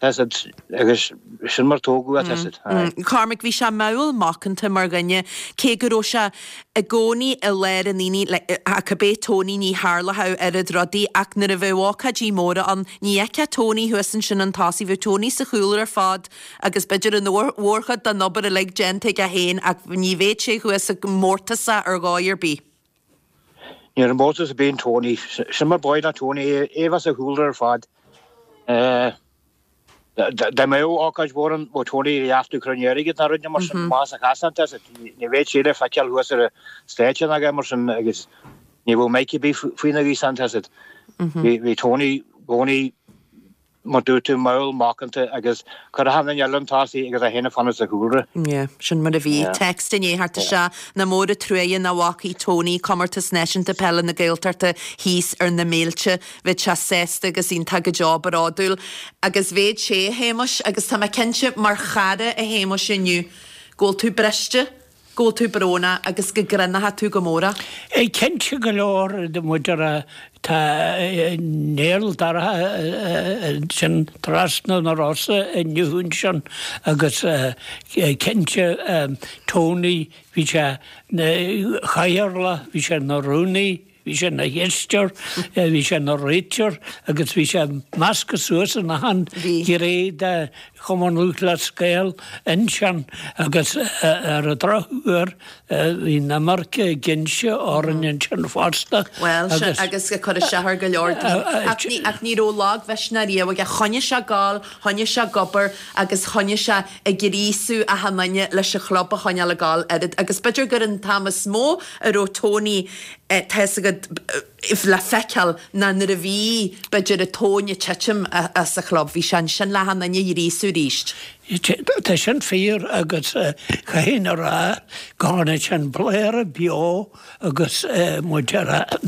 H: tá 'fhios a'd, agus sin mar tógadh é, tá 'fhios a'd.
A: Cormac, bhí sé mall macánta mar dhuine, cé go raibh sé i gcónaí i lár an aonaigh, ach cibé Tony, ní tharlódh oiread rudaí, ach nuair a bheadh ócáidí móra ann, ní fheicfeá Tony thuas ansin chun tosaigh, bheadh Tony sa chúlra ar fad agus b'fhéidir an mhórchuid den obair uilig déanta aige féin ach ní bheadh sé thuas mórtasach ar dhóigh ar bith.
H: Ní raibh mórtas ar bith in Tony. Sin mar b'áil le Tony é, é a bheith sa chúlra ar fad. Dá mbeadh ócáid mhór ann, bheadh Tony ag reachtú cruinniú airgid nó rud mar sin, amach as an chasán, tá 'fhios a'd. Ní bheadh sé le feiceáil thuas ar an stáitse ná a dhath mar sin agus ní bheadh mic ar bith faoina ghaosán, tá 'fhios a'd. Bhí Tony i gcónaí mar dúirt tú, mall macánta agus chuir achan duine eile chun tosaigh agus é féin ag fanacht sa chúlra.
A: Yeah, sin mar a bhí. Text i ndiaidh theacht isteach, Nach mór an truaighe nach bhfacaidh Tony Comórtas Náisiúnta Peile na Gaeltachta thíos ar na mílte. Bheadh sé sásta agus iontach go deo bródúil. Agus bheadh sé, a Shéamais, agus tá mé cinnte, mar chara, a Shéamais, inniu, go bhfuil tú briste. go bhfuil tú brónach agus go gcronóidh tú go mór é.
G: Cinnte go leor muid a rá tá néal dorcha ansin trasna na Rosa inniu ansin agus cinnte Tony bhí sé 'na chathaoirleach, bhí sé 'na rúnaí, Bhí sé 'na chisteoir, bhí sé 'na réiteoir agus bhí sé measctha suas in achan ghné de Chumann Lúthchleas Gael ansin agus ar an drochuair bhí an iomarca ag inse orainn ansin fosta.
A: Bhuel, sin agus ag cur isteach ar go leor daoine. Ach ní, ach ní raibh lagmhisneach riamh aige. Choinnigh sé ag gabháil, choinnigh sé ag obair agus choinnigh sé ag gríosú achan duine leis an chlub a choinneáil ag gabháil oiread agus b'fhéidir gur an t-am is mó a raibh Tony tá 'fhios agat, le feiceáil ná nuair a bhí, b'fhéidir, an tóin ag titim as an chlub, bhí sé ansin le achan duine a ghríosú arís.
G: Tá sin fíor agus caithfidh a rá go tháinig sin bladhaire beo agus muid ar a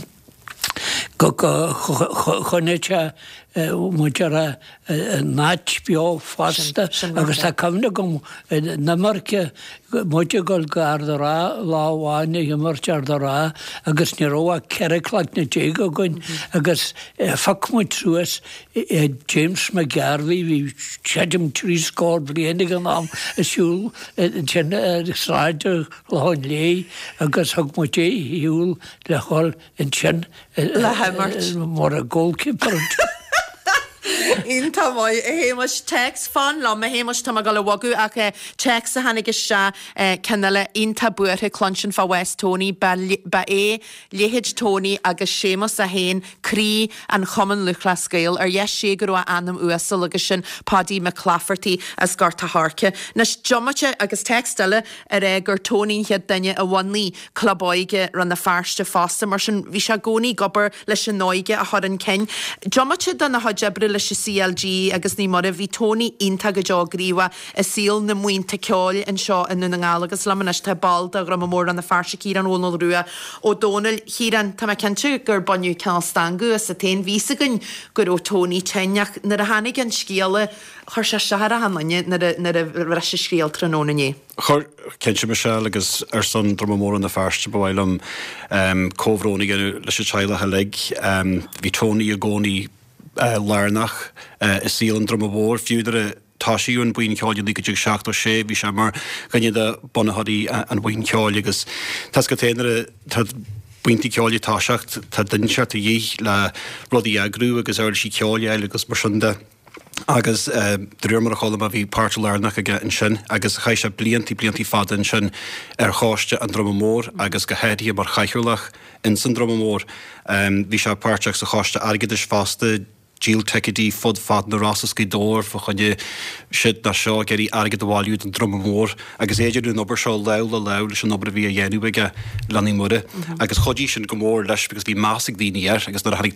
G: go choinnigh sé muid ar an áit beo fosta agus tá cuimhne agam an imirce, muid ag dul go Ard a' Rátha lá amháin ag imirt Ard a' Rátha agus ní raibh ach ceithre cloigne déag againn agus phioc muid suas James McGarvey, bhí creidim trí scór bliain ag an am, ag siúl ansin ar Sráid an Chlocháin Léith agus thug muid é ar shiúl le dhul ansin
A: le himirt.
G: Mar a goalkeeper.
A: Iontach maith, a Shéamais. Téacs, fan liom, a Shéamais, tá mé ag dul a bhogadh ach téacs a tháinig isteach, ceann eile iontach buartha cluinstin fá bhás Tony, ba ba é leithéid Tony agus Séamus é féin croí an Chumann Lúthchleas Gael. Ar dheis Dé go raibh a anam uasal agus sin Paddy McClafferty as Gort a' Choirce. Anois, diomaite agus téacs eile a rá gur Tony an chéad duine a bhunaigh Club Óige Rann na Feirste fosta, mar sin bhí sé i gcónaí ag obair leis an óige a chur chun cinn. Diomaite dena chuid oibre leis an CLG agus Naomh Muire, bhí Tony iontach go deo gníomhach i saol na mbuíonta ceoil anseo i nDún na nGall agus liom anois tá ball de Dhruma Mór Rann na Feirste, Ciarán Dhónaill Rua Ó Dónaill. Chiaráin, tá mé cinnte gur baineadh cineál stangadh asat féin. Bhí fhios againn go raibh Tony tinn ach nuair a tháinig an scéala, chuir sé isteach ar achan duine nuair a bhris an scéal tráthnóna inné.
I: Chuir, cinnte, Michelle, agus ar son Druma Mór Rann na Feirste ba mhaith liom comhbhrón a dhéanamh leis an teaghlach uilig. Bhí Tony i gcónaí lárnach i saol an Druma Mhóir, fiú nuair a tosaíodh an Buíon Ceoil i naoi déag seachtó sé, bhí sé mar dhuine de bunaitheoirí an Bhuíon Ceoil agus tá 's agat féin nuair atá buíonta ceoil ag toiseacht, tá duine inteacht de dhíth le rudaí a eagrú agus uirlisí ceoil a fháil agus mar sin de. Agus de réir mar a chuala mé bhí páirt lárnach aige ansin agus chaith sé bliantaí, bliantaí fada ansin ar choiste an Druma Mór agus go háirithe mar chathaoirleach ins an Druma Mór. Bhí sé páirteach sa choiste airgeadais fosta, díol ticéidí fud fad na Rosann is Gaoth Dobhair fá choinne siúd ná seo ag iarraidh airgead a bhailiú don Druma Mór agus é ag déanamh an obair seo lámh le lámh leis an obair a bhí á dhéanamh aige le Naomh Muire agus chuidigh sin go mór leis because bhí meas ag daoine air agus nuair a tháinig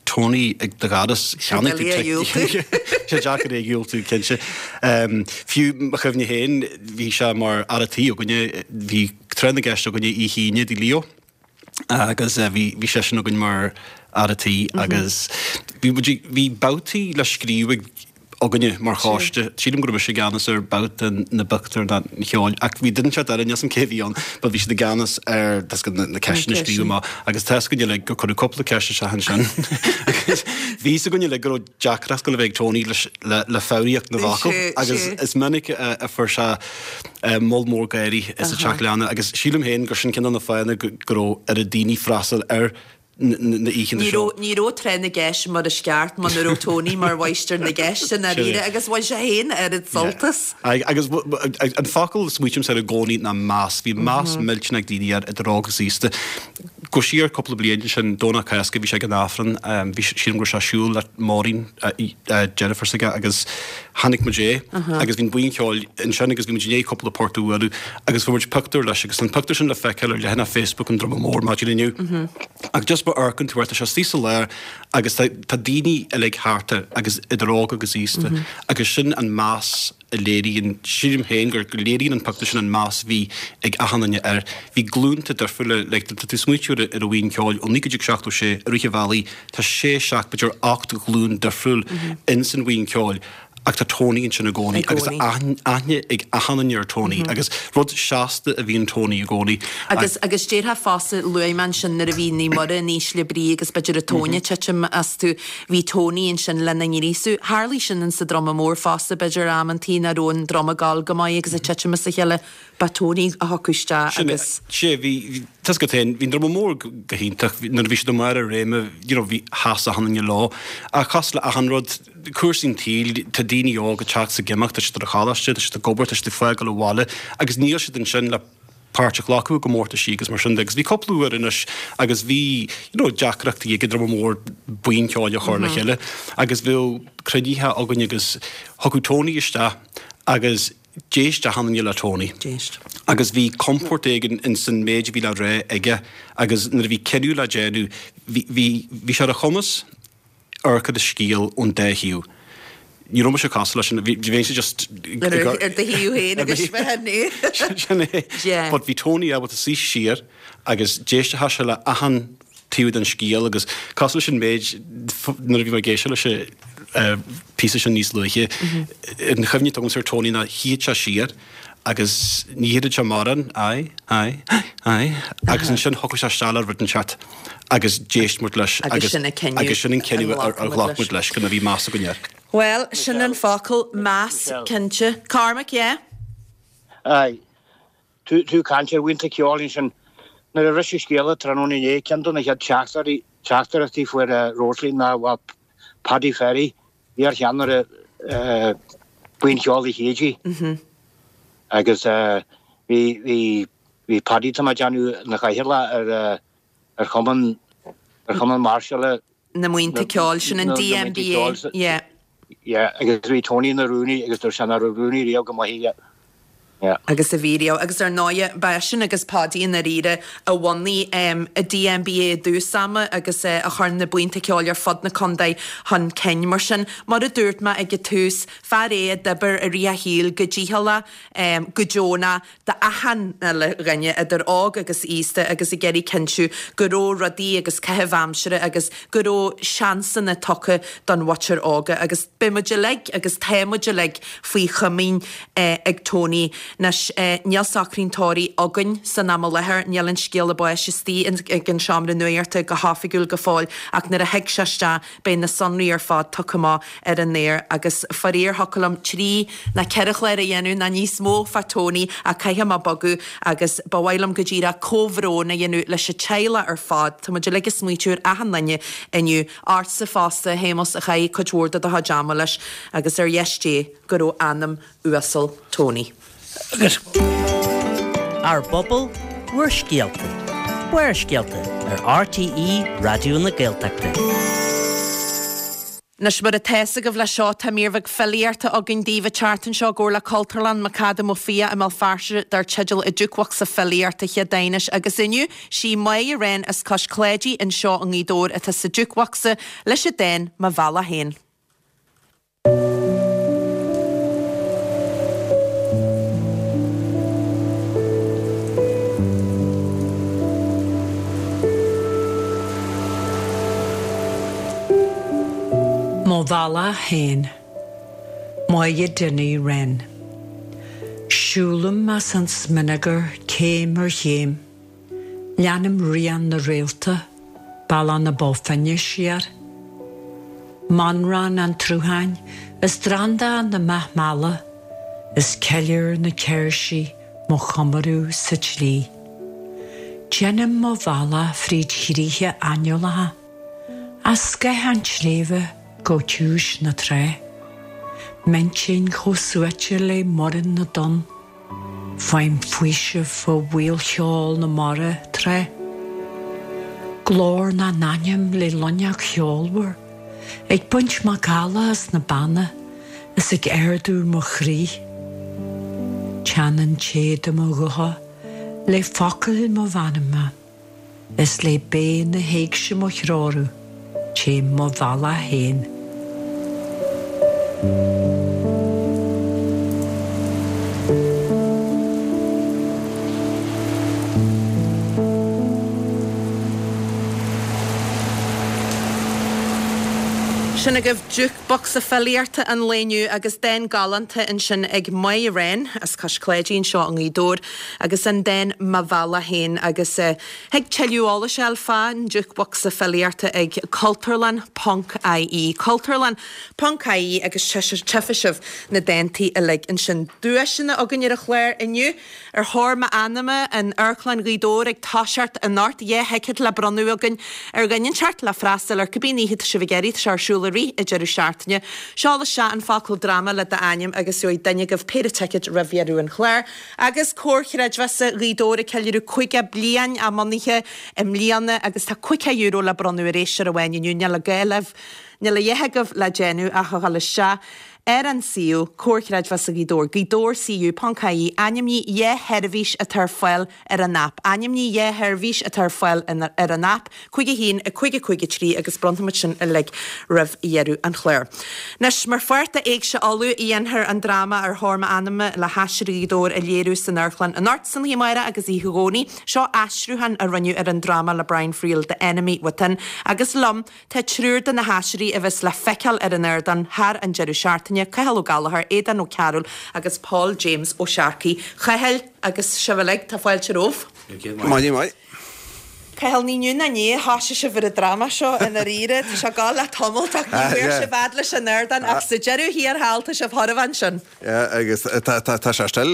I: Tony ag do dhoras, cheannaigh tú ticéad. Sé deacair é a dhiúltú, cinnte. Fiú mo chuimhne féin, bhí sé mar fhear a' tí againne, bhí tráth na gceist againne oíche Aoine i dTigh Leo agus bhí bhí seisean againn mar fhear a' tí agus bhí muid ag, bhí babhtaí le scríobh ag againne mar choiste. Sílim go raibh mise i gceannas ar babhta na bpictiúr ná an cheoil ach bhí duine inteacht eile, níl 's a'm cé a bhí ann, but bhí siad i gceannas ar tá 's agat na ceisteanna a scríobh amach agus tá 's againn uilig gur cuireadh cúpla ceist isteach ansin agus bhí 's againn uilig go raibh deacracht ag gabháil a bheith ag Tony leis le le foghraíocht na bhfocal agus is minic a a fuair sé moll mór gáirí sa teach leanna agus sílim féin gur sin ceann de na fáthanna go go raibh oiread daoine freastal ar na oícheanta
A: Ní
I: seo.
A: raibh, ní raibh tráth na gceist mar is ceart muna raibh Tony mar mháistir na gceist i ndáiríre agus bhain sé féin oiread sult as.
I: Aye, agus an focal a smaoitímse air i gcónaí ná meas. Bhí meas millteanach ag daoine air, idir óg agus aosta. Go siar cúpla bliain ansin, Domhnach Cásca, bhí sé ag an Aifreann, bhí, sílim go raibh sé ag siúl le Maureen, deirfiúr s'aige, agus chonaic muid é agus bhí an buíon cheoil ansin agus bhí muid i ndiaidh cúpla port a bhualadh agus fuair muid pictiúr leis agus tá an pictiúr sin le feiceáil ar leathanach Facebook an Druma Mór maidin inniu. Ach just má amharcann tú air, tá sé istigh sa lár agus tá tá daoine uilig thart air agus idir óg agus aosta agus sin an meas a léiríonn, sílim féin gur go léiríonn an pictiúr sin an meas a bhí ag achan duine air. Bhí glúnta difriúla, like tá tú ag smaoitiú ar ar an bhuíon ceoil ó naoi déag seachtó sé i rith an bhealaigh, tá sé, seacht, b'fhéidir ocht ghlúin difriúil ins an bhuíon ceoil ach tá Tony ansin i gcónaí agus tá aithne ag achan duine ar Tony agus rud seasta a bhí in Tony i gcónaí.
A: Agus agus déarfá fosta, luaigh mé ansin nuair a bhí Naomh Muire in ísle brí agus b'fhéidir an tóin ag titim astu, bhí Tony ansin lena ngríosú. Tharlaigh sin insa Druma Mór fosta, b'fhéidir amantaí nach raibh an druma ag gabháil go maith agus ag titim as a chéile, ba Tony a thiocfadh isteach agus.
I: Sin é, bhí, tá 's agat féin, bhí an Druma Mór go hiontach, nuair a bhí siad i mbarr a réime, you know, bhí, sheas achan duine leo. Ach cosúil le achan rud, cúrsaí an tsaoil, tá daoine óga ag teacht is ag imeacht, tá siad ar an choláiste, tá siad ag obair, tá siad ag fágáil an bhaile agus níl siad ansin le páirt a ghlacadh i gcomórtaisí agus mar sin de. Agus bhí cúpla uair anois agus bhí, you know, deacrachtaí ag an Druma Mór buíon ceoil a chur le chéile agus bheadh cruinnithe againn agus thiocfadh Tony isteach agus d'éist achan duine le Tony.
A: D'éist.
I: Agus bhí compord éigin ins an méid a bhí le rá aige agus nuair a bhí cinneadh le déanamh, bhí, bhí, bhí sé ar a chumas amharc ar an scéal ón dá thaobh. Ní raibh mise cosúil leis sin, bhí, bheinnse just
A: Ar, ar do thaobh féin agus bheith
I: é. Sin é.
A: Yeah.
I: But bhí Tony ábalta suí siar agus d'éistfeadh sé le achan taobh den scéal agus cosúil leis an méid nuair a bhí mé ag éisteacht leis an píosa sin níos luaithe, an chuimhne atá agamsa ar Tony ná shuíodh sé siar agus ní dhéarfadh sé mórán, aye, aye, aye, agus ansin thiocfadh sé isteach le rud inteacht agus d'éist muid leis
A: Agus sin an cinneadh
I: agus sin an cinneadh a ghlac muid leis go bhí meas againn air.
A: Bhuel, sin an focal, meas, cinnte. Cormac, yeah?
H: Aye. Tú ag caint ar bhuíonta ceoil ansin. Nuair a bhris an scéala tráthnóna inné, ceann de na chéad teachtaireachtaí a fuair Rosaleen ná bhuel Paddy Ferry iar-cheannaire Buíon Cheoil Uí Chéide agus bhí bhí bhí Paddy tá mé ag déanamh ina chathaoirleach ar ar chumann ar chumann máirseála
A: na mBuíonta Ceoil, sin an DMBA, yeah.
H: Yeah, agus bhí Tony ina rúnaí agus dúirt sé nach raibh rúnaí riamh chomh maith aige. Yeah.
A: Agus a bhí riamh. Agus ar ndóighe, ba eisean agus Paudie i ndáiríre a bhunaigh an DMBA i dtús ama agus a chuir na buíonta ceoil ar fud na contae chun cinn. Mar sin, mar a dúirt mé ag an tús, fear é a d'oibir i rith a shaoil go dícheallach, go deonach, d'achan uile dhuine, idir óg agus aosta, agus ag iarraidh cinntiú go raibh rudaí agus caitheamh aimsire agus go raibh seansanna tugtha don mhuintir óga. Agus beidh muid uilig, agus tá muid uilig, faoi chomaoin ag Tony. Anois, níl socraí an tórraimh againn san am i láthair, níl an scéala báis istigh ag an seomra nuachta go hoifigiúil go fóill, ach nuair a thig sé isteach beidh na sonraí ar fad tugtha amach ar an aer agus faraor thiocfadh liom trí nó ceithre chlár a dhéanamh nó níos mó fá Tony ach caithfidh mé bogadh agus ba mhaith liom go díreach comhbhrón a dhéanamh leis an teaghlach ar fad. Tá muid uilig ag smaoitiú ar achan duine inniu, ortsa fosta, a Shéamuis, a chaith cuid mhór de do chuid ama leis agus ar dheis Dé go raibh anam uasal Tony.
G: Agus.
J: Ár bpobal, bhur scéalta. Barrscéalta ar RTÉ Raidió na Gaeltachta.
A: Anois mar atá fhios agaibh leis seo tá mír bheag filíochta againn daoibh an tseachtain seo i gcomhar le Cultúrlann McAdam Ó Fiaich i mBéal Feirste dar teideal An Jukebocsa Filíochta Chéadaoine agus inniu sí Máire Wren as Cois Cláidí anseo i nGaoth Dobhair atá sa jukebocsa leis an dán Mo Bhealach Féin.
K: Mo bhealach féin. Máire Dinny Wren. Siúlaim as an smionagar céim ar chéim. Leanaim rian na réalta, Bealach na Bó Finne siar. Mannrán an tsrutháin is drandán na mbeach meala is ceiliúr na céirsí mo chomóradh sa tslí. Déanaim mo bhealach fríd chríocha aineolacha, as scáth an tsléibhe go ciumhais na trá. M'intinn chomh suaite le muireann na dtonn. Faighim faoiseamh ó mhaolcheol na mara tráth. Glór na n-ainm le luineacht cheolmhar, ag baint macalla as na beanna is ag ardú mo chroí. Teannann téada mo ghutha le focail mo mheanma. Is le béith na héigse mo threorú, téim mo bhealach féin.
A: Sin agaibh jukebocsa filíochta an lae inniu agus dán galánta ansin ag Máire Wren as Cois Cláidí anseo i nGaoth Dobhair agus an dán Mo Bhealach Féin agus thig tuilleadh eolais a fháil fán jukebocsa filíochta ag Cultúrlann ponc IE, Cultúrlann ponc IE agus tchífidh sibh na dántaí uilig ansin. Duaiseanna againn ar an chlár inniu. Ar Thóir M'Anama in Amharclann Ghaoth Dobhair ag toiseacht anocht, dhá thicéad le bronnadh againn ar dhuine inteacht le freastal ar cibé oíche atá sibh ag iarraidh, tá sé ar siúl i rith an deireadh seachtaine. Seol isteach an focal dráma le d'ainm agus gheobhaidh duine agaibh péire ticéad roimh dheireadh an chláir. Agus Comhar Chreidmheasa Ghaoth Dobhair ag ceiliúradh caoga bliain a mbunaithe i mbliana agus tá caoga euro le bronnadh ar éisteoir amháin inniu, níl a gá libh, níl a dhath agaibh le déanamh ach a dhul isteach ar an suíomh, Comhar Chreidmheasa Ghaoth Dobhair, Gaoth Dobhair CU ponc IE, ainmnigh dhá sheirbhís atá ar fáil ar an aip, ainmnigh dhá sheirbhís atá ar fáil ar an aip, cúig a haon, a cúig a cúig a trí agus bronnfaimid sin uilig roimh dheireadh an chláir. Anois, mar pháirt de Éigse Uladh, dhéanfar an dráma Ar Thóir M'Anama le hAiséirí Ghaoth Dobhair a léiriú san amharclann anocht, san oíche amárach agus oíche Dhomhnaigh. Seo aistriúchán a rinneadh ar an dráma le Brian Friel, The Enemy Within, agus liom tá triúr de na haiséirí a bheas le feiceáil ar an ardán thar an deireadh seachtaine, Cathal Ó Gallchóir, Aodán Ó Cearúil agus Paul James Ó Searcaigh. Chathail agus sibh uilig, tá fáilte romhaibh.
L: Maidin mhaith.
A: Paul, ní inniu ná inné a thoisigh sibh ar an dráma seo i ndáiríre. Tá sé ag gabháil le tamalt ach ní bhfuair sibh fhad leis an ardán ach sa deireadh thiar thall tá sibh chóir a bheith ansin.
L: Yeah, agus tá tá tá sé still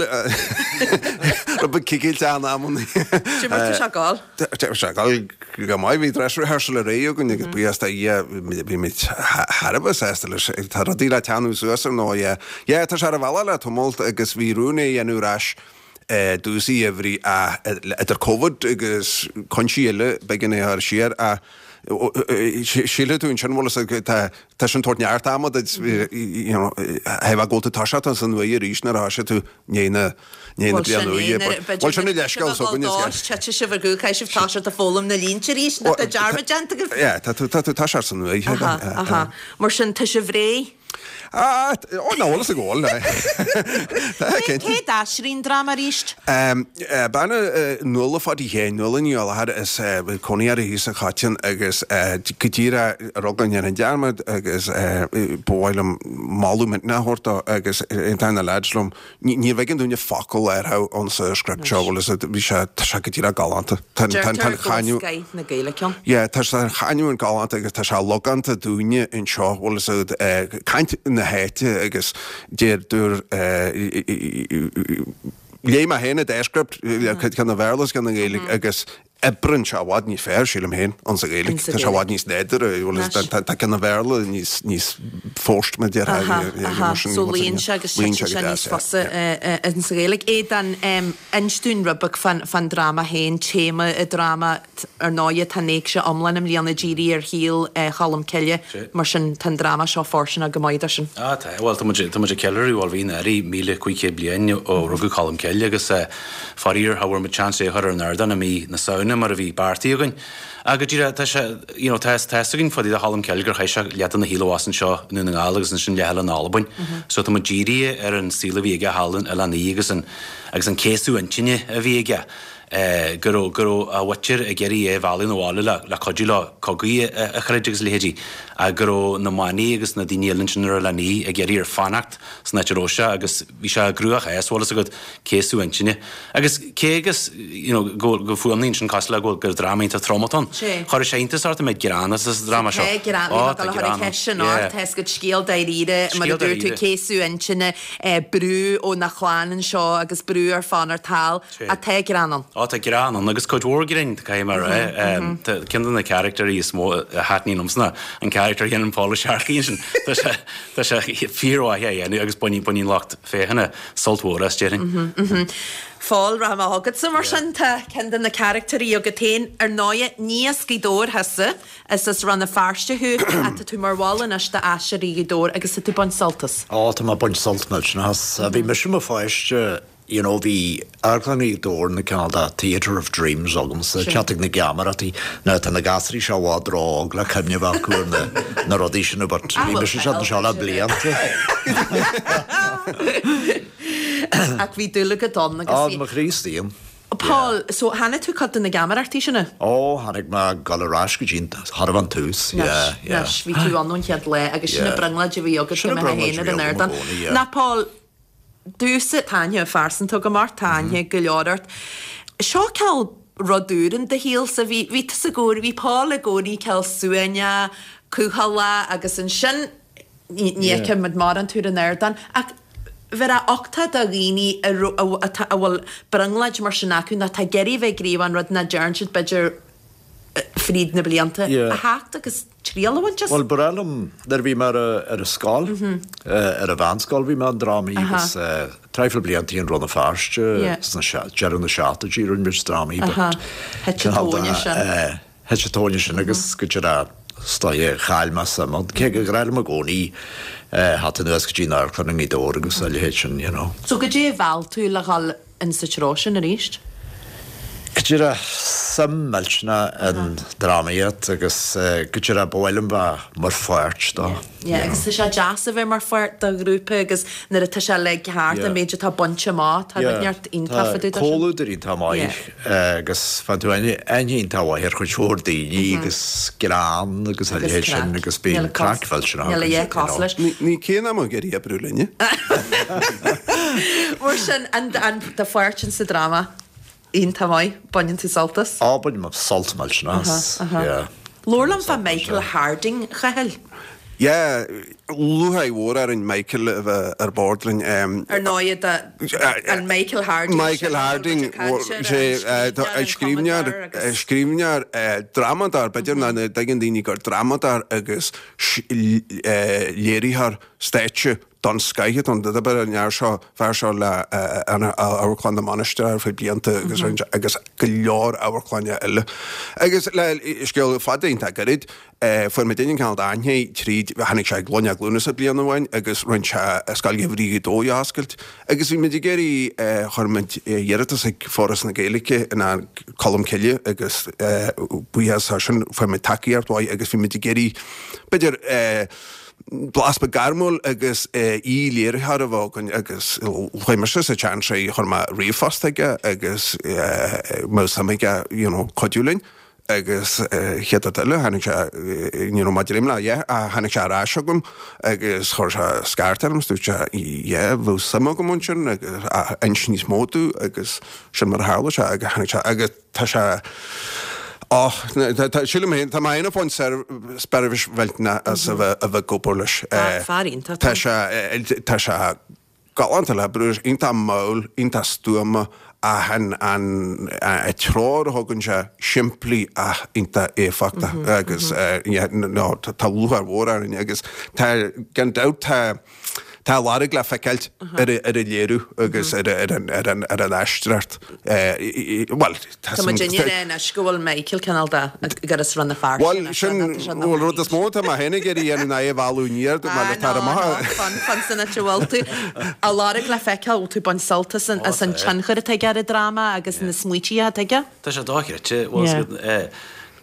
L: rud beag cigilte in amannaí.
A: Cad é mar tá sé ag gabháil?
L: Tá sé ag gabháil go maith, bhí dress rehearsal aréir againn agus buíochas do Dhia bhí muid thar a bheith sásta leis. Tá rudaí le teannadh suas ar ndóigh. Yeah, yeah tá sé ar a bhealach le tamalt agus bhí rún é a dhéanamh ar ais i dtús an gheimhridh idir Covid agus cúinsí eile b'éigean é a chur siar ach sílfidh tú ansin bhfuil fhios agat tá tá sin tabhairt neart ama duit you know theifeá go bhfuil tú toiseacht as an uaigh arís nuair a thoisigh tú ndiaidh na ndiaidh na
A: Bhuel sin
L: bliana
A: é
L: úire
A: nuair
L: but bhuel sin an leithscéal s'againne is
A: Titfidh sibh ar gcúl caithfidh sibh toiseacht ag foghlaim na línte arís nó tá dearmad déanta agaibh.
L: Yeah tá tú tá tú toiseacht san uaigh
A: Aha aha mar sin tá sibh réidh?
L: Ah, ó ná bhfuil fhios ag gabháil. Tá cinnte.
A: Cé d'aistrigh an dráma arís?
L: Bean Nuala Pháidí Sheáin, Nuala Ní Ghallachair is cónaí uirthi thíos sa Choiteann agus go díreach rug an an dearmad agus ba mhaith liom moladh millteanach a thabhairt dó agus aontaíonn na leaids liom Ní bhfeiceann duine focal ar ann sa script seo, bhfuil fhios agat, bhí sé, tá sé go díreach galánta. Tá an, tá an, tá an
A: Deirtear go bhfuil
L: chanúint,
A: scoith na Gaeilge ann.
L: yeah, tá an chanúint galánta agus tá sé logánta dúinne anseo, bhfuil fhios agat, eh, caint na háite agus deir, dúr, eh, léigh mé féin an dá script, ceann an Bhéarla agus ceann na Gaeilge agus oibreann sé i bhfad níos fearr, sílim féin, ann sa Ghaeilge.
A: Sa
L: Tá sé i bhfad
A: Ghaeilge.
L: níos nádúrtha, bhfuil fhios agat, tá ceann an Bhéarla níos, níos forced, mar a déarfá,
A: Aha, aha.
L: mar sin,
A: So
L: bhfuil fhios
A: luíonn
L: agat,
A: sé agus
L: luíonn
A: titeann
L: sé
A: sé
L: go
A: níos
L: deas,
A: fusa
L: yeah, yeah.
A: in sa Ghaeilge. Aodán, inis dúinn rud beag fán, fán dráma féin, téama an dráma, ar ndóighe tá an éigse iomlán i mbliana dírithe ar shaol Cholm Cille, mar sin tá an dráma seo fóirsteanach go maith dó sin.
M: Ah, tá, bhuel tá muid, tá muid ag ceiliúradh, bhuel bhí an éirí míle cúig chéad bliain ó rugadh Colm Cille agus faraor cha bhfuair muid seans é a chur ar an ardán i mí na Samhna mar a bhí beartaithe againn. Ach go díreach, tá sé, you know, tá tá fhios againn fá dtaobh de Cholm Cille gur chaith sé leath de na shaol abhus anseo i nDún na nGall agus ansin leath eile in Albain. So tá muid dírithe ar an saol a bhí aige thall in Oileán Í agus an agus an céasadh intinne a bhí aige. go raibh go raibh a mhuintir ag iarraidh é a mhealladh 'na bhaile le le cuidiú leo cogaí a a throid agus a leithéidí ach go raibh na manaigh agus na daoine eile ansin ar Oileán Í ag iarraidh air fanacht san áit a raibh sé agus bhí sé i gcruachás, bhfuil fhios agat, céasadh intinne. Agus cé agus you know go go fuaimníonn sin cosúil le go bhfuil gur dráma iontach trom atá ann, chuirfeadh sé iontas ort an méid greann atá sa dráma seo.
A: Tá greann,
M: Ó,
A: bhí mé
M: tá
A: ag dul a chur
M: greann
A: an
M: ann.
A: cheist sin
M: Yeah.
A: ort, tá fhios agat scéal dáiríre, mar a
M: Scéal
A: dúirt tú,
M: dáiríre.
A: céasadh intinne, brú óna chlann anseo agus brú air fanacht thall. Ach tá greann ann.
M: Ó tá greann ann agus cuid mhór grinn, caithfidh mé a rá. Tá ceann de na caractéirí is mó a thaitníonn liomsa ná an carachtar a dhéanann Paul Ó Searcaigh ansin. Tá sé tá sé fíormhaith á dhéanamh agus baineann baineann lucht féachana sult mhór as, déarfainn.
A: Paul, rachaidh mé chugatsa mar sin, tá ceann de na caractéirí agat féin. Ar ndóighe, ní as Gaoth Dobhair thusa, is as Rann na Feirste thú ach tá tú mar bhall anois d'Aisteoirí Ghaoth Dobhair agus tá tú ag baint sult as.
N: Ó, tá mé ag baint sult millteanach as. Bhí mise i mo pháiste you know bhí Amharclann Ghaoth Dobhair ina cineál de theatre of dreams agamsa, teacht ag na geamaireachtaí, now tá na gasraí seo i bhfad ró-óg le cuimhne a bheith acu ar na na rudaí sin but bhí mise siad anseo le blianta.
A: Ach bhí dúil agat ann agus
N: Á,
A: bhí.
N: mo chroí istigh ann.
A: Paul, so chonaic tú cuid de na geamaireachtaí sin?
N: Ó, chonaic mé ag dul ar ais go dtí an chóir a bheith an tús, yeah, yeah.
A: Anois, bhí tú ann ón chéad lá agus sin
N: Yeah.
A: an brionglóid a bhí agat
N: Sin
A: go
N: an
A: mbeifeá
N: brionglóid
A: féin
N: a
A: ar
N: bhí
A: an
N: agam i
A: ardán.
N: gcónaí, yeah.
A: Now Paul, Domsa, tá aithne phearsanta agam ort, tá aithne go leor ort. Seo cineál rud úr in do shaolsa, bhí, bhí tusa i gcónaí, bhí Paul i gcónaí cineál suaimhneach, cúthaileach agus ansin ní, ní
N: Yeah.
A: fheicimid mórán tú ar an ardán ach bheadh uchtach do dhaoine a ro- a, atá, a bhfuil brionglóid mar sin acu nó atá ag iarraidh bheith ag gníomh an rud nach dtearn siad b'fhéidir fríd na blianta
N: Yeah.
A: a theacht agus triail a bhaint as.
N: Bhuel, ba bhreá liom, nuair a bhí mé ar a, ar a scoil, ar a mheánscoil bhí mé i ndrámaí
A: Aha.
N: agus traidhfil blianta in Rann na Feirste
A: Yeah.
N: sna deireadh na seachtóidí rinne muid drámaí but
A: Aha. Thit an
N: cineál de,
A: tóine sin.
N: eh, thit an tóine sin agus go deireadh is dóigh chaill mé suim ann. Cé gur ghnách liom i gcónaí eh, theacht anuas go dtí an amharclann i nGaoth Dobhair agus a leithéid sin, you know.
A: So goidé a mheall tú le dhul in sa treo sin arís?
N: Go díreach suim millteanach in drámaíocht agus go díreach ba mhaith liom bheith mar pháirt dó.
A: Yeah, agus tá sé deas a bheith mar pháirt de ghrúpa agus nuair atá sé le thart an méid atá bainte amach, tá rud neart iontach fá dtaobh de sin.
N: Comhluadar iontach maith agus faigheann tú aithne iontach mhaith ar chuid mhór daoine agus greann agus a leithéid sin agus bíonn craic mhillteanach
A: Níl a dhath cosúil leis.
L: Ní cé ná ag iarraidh oibriú linne.
A: Mar sin an, an do pháirt in sa dráma? Iontach maith, baineann tú sult as?
N: Á, bainim sult millteanach as, yeah.
A: Labhair liom fá Michael Harding, Chathail.
L: Yeah, lúcháir mhór orainn Michael a bheith ar bord linn.
A: Ar ndóigh, an Michael Harding
L: Michael Harding, sé scríbhneoir, scríbhneoir, drámadóir, b'fhéidir nach dtuigeann daoine gur drámadóir agus léiritheoir stáitse den scoith atá ann. D'oibrigh an fhear seo, fear seo le Amharclann na Mainistreach ar feadh blianta agus agus go leor amharclainne eile. Agus le scéal fada iontach gairid, fuair muid an cineál d'aithne tríd, tháinig sé ag Gloine Glúnasa bliain amháin agus rinne sé Scoil Gheimhridh Ghaoth Dobhair a oscailt agus bhí muid ag iarraidh, chuir muid iarratas ag Foras na Gaeilge in Colm Cille agus buíochas as sin fuair muid tacaíocht mhaith agus bhí muid ag iarraidh, b'fhéidir, blas beag gairmiúil agus aoi-léiritheoir a bheith againn agus chuaigh mise sa tseans é, chuir mé ríomhphost chuige agus an mbeadh suim aige you know cuidiú linn agus chéad rud eile tháinig sé you know maidir le yeah tháinig sé ar ais chugam agus chuir sé scairt orm is dúirt sé yeah bheadh suim agam ansin agus inis níos mó domh agus sin mar a tharla sé agus tháinig sé agus tá sé Á, tá, sílim féin, tá mé féin ag baint seirbhís mhillteanach as a bheith, a bheith ag obair leis.
A: Fear iontach.
L: Tá sé, tá sé galánta le oibriú leis, iontach mall, iontach stuama ach an, an, an treoir a thugann sé, simplí ach iontach éifeachtach agus, yeah, no, tá lúcháir mhór orainn agus tá, gan dabht, tá, Tá a lorg le feiceáilt ar an léiriú agus ar an aisteoireacht. Bhuel,
A: tá muid ag rá anois go bhfuil Michael cineál de ag as Rann na Feirste.
L: Bhuel, sin, bhuel, rud is mó atá mé féin ag iarraidh a dhéanamh ná é a mhealladh aniar mar le tar amach.
A: Ah, no, fan, fan san áit a bhfuil tú. A lorg le feiceáil, bhfuil tú ag baint sult as an tionchar atá aige ar an dráma agus na smaoití atá aige?
M: Tá sé dochreidte, bhuel,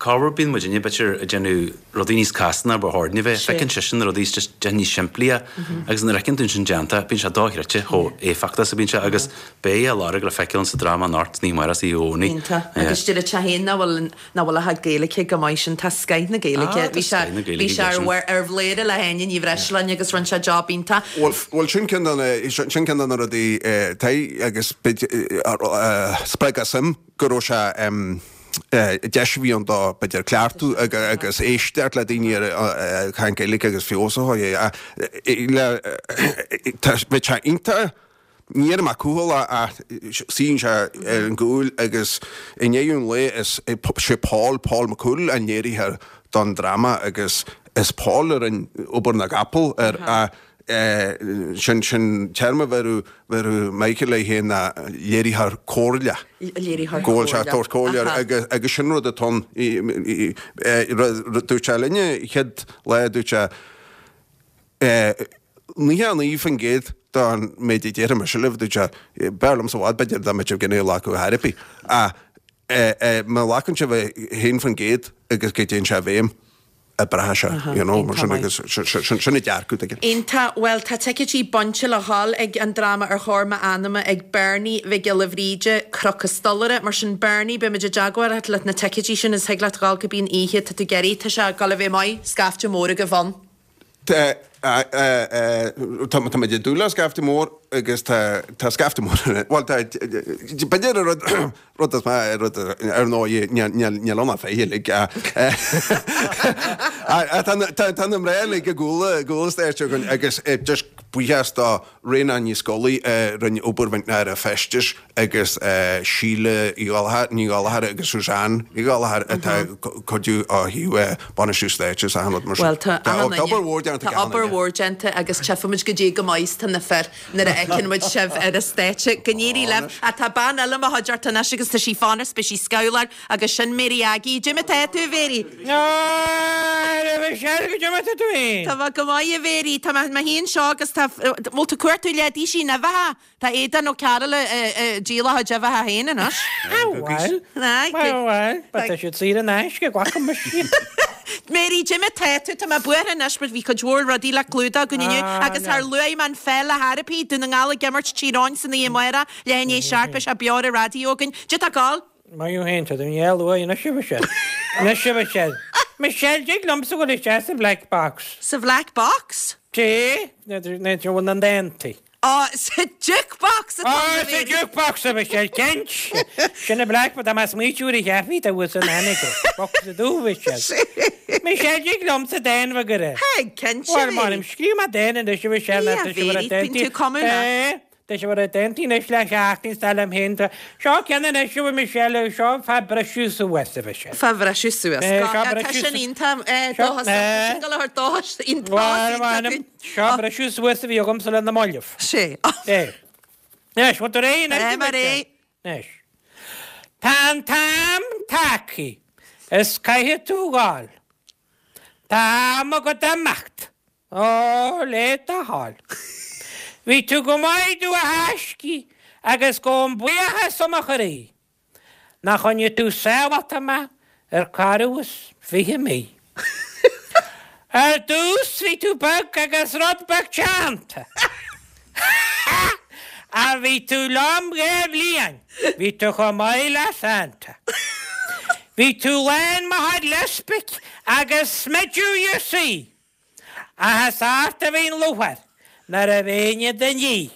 M: Corruair bíonn muidinne b'fhéidir ag déanamh rudaí níos casta ná ba chóir dúinn a bheith. Feiceann seisean na rudaí just déanta níos simplí agus nuair a fheiceann tú sin déanta bíonn sé dochreidte chomh éifeachtach is a bíonn sé agus beidh a lorg le feiceáil sa dráma anocht san oíche amárach is oíche Dhomhnaigh.
A: Iontach. Agus deir sé féin nach bhfuil nach bhfuil a chuid Gaeilge go maith sin tá scoith na Gaeilge.
M: Ah, tá
A: Bhí sé
M: scoith na Gaeilge
A: bhí sé ar
M: aige sin.
A: ar bhléire le hÁine Ní Bhreisleáin agus rinne sé job iontach.
L: Bhuel bhuel sin ceann de na sin ceann de na rudaí tá agus b'fhéidir a spreag a suim go raibh sé deis a bhí ann dó, b'fhéidir, cleachtadh agus éisteacht le daoine ag caint Gaeilge agus feabhas a chur air. Bheadh sé iontach, ní déarfaidh mé cúthaileach ach suíonn sé ar an gcúl agus i ndeireadh an lae is sé Paul, Paul McCool an léiritheoir don dráma agus is Paul a rinne obair na gcapall air ach Sin sin téarma a bheireadh bheireadh Michael air féin ná léiritheoir comhairleach.
A: Léiritheoir
L: Go bhfuil sé ag
A: comhairleach.
L: tabhairt comhairle
A: Aha.
L: agus agus sin rud atá ann. Dúirt sé linne chéad lá dúirt sé naocha a naoi faoin gcéad den méid a déarfaidh mise libh dúirt sé b'fhearr liomsa i bhfad b'fhéidir dá mbeadh sibh gan é a ghlacadh ar chor ar bith. Ach má ghlacann sibh a haon faoin gcéad agus go dtéann sé i bhfeidhm. oibreoidh sé, you know, mar sin agus sin an dearcadh aige.
A: Iontach. Bhuel, tá ticéidí bainte le dhul ag an dráma Ar Thóir M'Anama ag Bernie Mhic Giolla Bhríde, Cnoc an Stolaire. Mar sin, Bernie, beidh muid i dteagmháil leat le na ticéidí sin is thig leat dhul cibé an oíche atá tú ag iarraidh. Tá sé ag dul a bheith maith, scaifte mór agaibh ann.
L: Tá, tá muid ag dúil le scaifte mór agus tá, tá scaifte mór, bhuel tá, b'fhéidir an rud, rud is mó, rud, ar ndóigh níl, níl, níl ann ach fiche uilig ach tá na, tá, tá na mná uilig i gcúl, i gcúl an stáitse againn agus just buíochas do Ríona Ní Scolaí a rinne obair mhillteanach ar an bhfeisteas agus Síle Uí Ghallchóir, Ní Ghallchóir agus Suzanne Uí Ghallchóir atá ag cuidiú ó thaobh bainistiú stáitse is achan rud mar sin.
A: Bhuel, tá
L: Tá obair mhór déanta
A: Tá
L: ag achan
A: obair
L: duine.
A: mhór déanta agus tchífimid goidé chomh maith is tá na fir nuair a fheiceann muid sibh ar an stáitse. Go n-éirí libh. Ach tá bean eile i mo chuideachta anois agus tá sí fanacht, beidh sí scamhláir agus sin Mary Aggie. Goidé mar tá tú, a Mhary?
O: A Mhichelle, goidé mar tá tú féin?
A: Tá mé go maith, a Mhary. Tá mé féin anseo agus tá, bhfuil tú cuartú leidísí in uibheacha? Tá Aodán Ó Cearúil ag díol a chuid uibheacha féin anois.
O: Bhuel, bhuel, bhuel, tá siad saor in aisce, glacfaidh mise iad.
A: Mary, goidé mar tá tú, tá mé buartha anois mar bhí cuid mhór rudaí le clúdach againn inniu agus char luaigh mé an pheil ar chor ar bith, Dún na nGall ag imirt Tír Eoghain san oíche amárach, leath i ndiaidh a seacht, beidh sé beo ar an raidió againn. Goidé tá ag gabháil?
O: Maith thú féin, tá tú i ndiaidh a lua anois, a Mhichelle. Anois, a Mhichelle. Michelle, dtig liomsa dhul isteach sa Bhlack Box.
A: Sa Bhlack Box?
O: Dé, na bhfuil na ndántaí.
A: Á, sa jukebox atá
O: Á, sa jukebox a Mhichelle, cinnte. Sin a Black, tá mé ag smaoitiú ar a cheapfaí tá uas an ainm Box a dú Mhichelle. Michelle, dtig liomsa dán bheag a rá.
A: Thig, cinnte,
O: Bhuel,
A: Mary.
O: m'anam, scríobh mé dán anois a Mhichelle,
A: Ia,
O: tá sé mar a
A: Mary, bíonn
O: déantaí.
A: tú cumadh leat.
O: Eh, Tá sé mar a déantaí anois le seachtain is tá liom féin. Tá- Seo ceann anois a Michelle, seo fá briseadh suas a Mhichelle.
A: Fá bhriseadh suas.
O: Eh,
A: Go-
O: seo
A: eh, Tá
O: briseadh
A: sin
O: su-
A: iontach, eh,
O: Seo-
A: dóchas, tá
O: eh.
A: sin go leor dóchas iontach,
O: Bhuel,
A: iontach
O: m'anam,
A: dúinn.
O: seo briseadh suas a bhí agamsa le na mallaibh.
A: Sé.
O: Eh. Anois, bhfuil tú réidh anois,
A: Eh,
O: a
A: mar
O: Mhichelle?
A: é.
O: Anois. Tá an t-am tagtha is caithfidh tú gabháil. Tá am agat imeacht. Ó, le do thoil. Bhí tú go maith domh a thaiscidh agus gabhaim buíochas ó mo chroí. Nach choinnigh tú sábháilte mé ar ceathrú is fiche mí. Ar dtús bhí tú beag agus rud beag teannta. A bhí tú liom dhá bhliain, bhí tú chomh maith le Santa. Bhí tú lán mo chuid lipstick agus smideadh you see. Ach is ort a bhíonn lúcháir nuair a bheinn i do ndiaidh.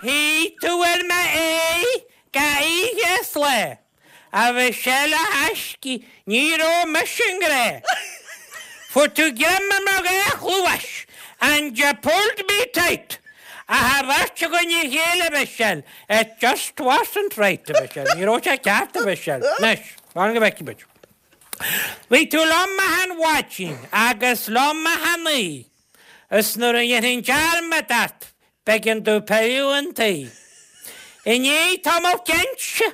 O: Shuigh tú ar m'aghaidh gach oíche is lá. A Mhichelle a thaiscidh, ní raibh mise i ngrá. Fuair tú greim ar mo dhá chluais and you pulled me tight. Ach an bheirt againn a chéile, a Mhichelle, it just wasn't right, a Mhichelle. Ní raibh sé ceart, a Mhichelle. Anois, fan go bhfeicfidh muid. Bhí tú liom achan mhaidin agus liom achan oíche. Is nuair a dhéanfainn dearmad ort, b'éigean domh pilleadh chun tí. I ndiaidh tamall cinnte,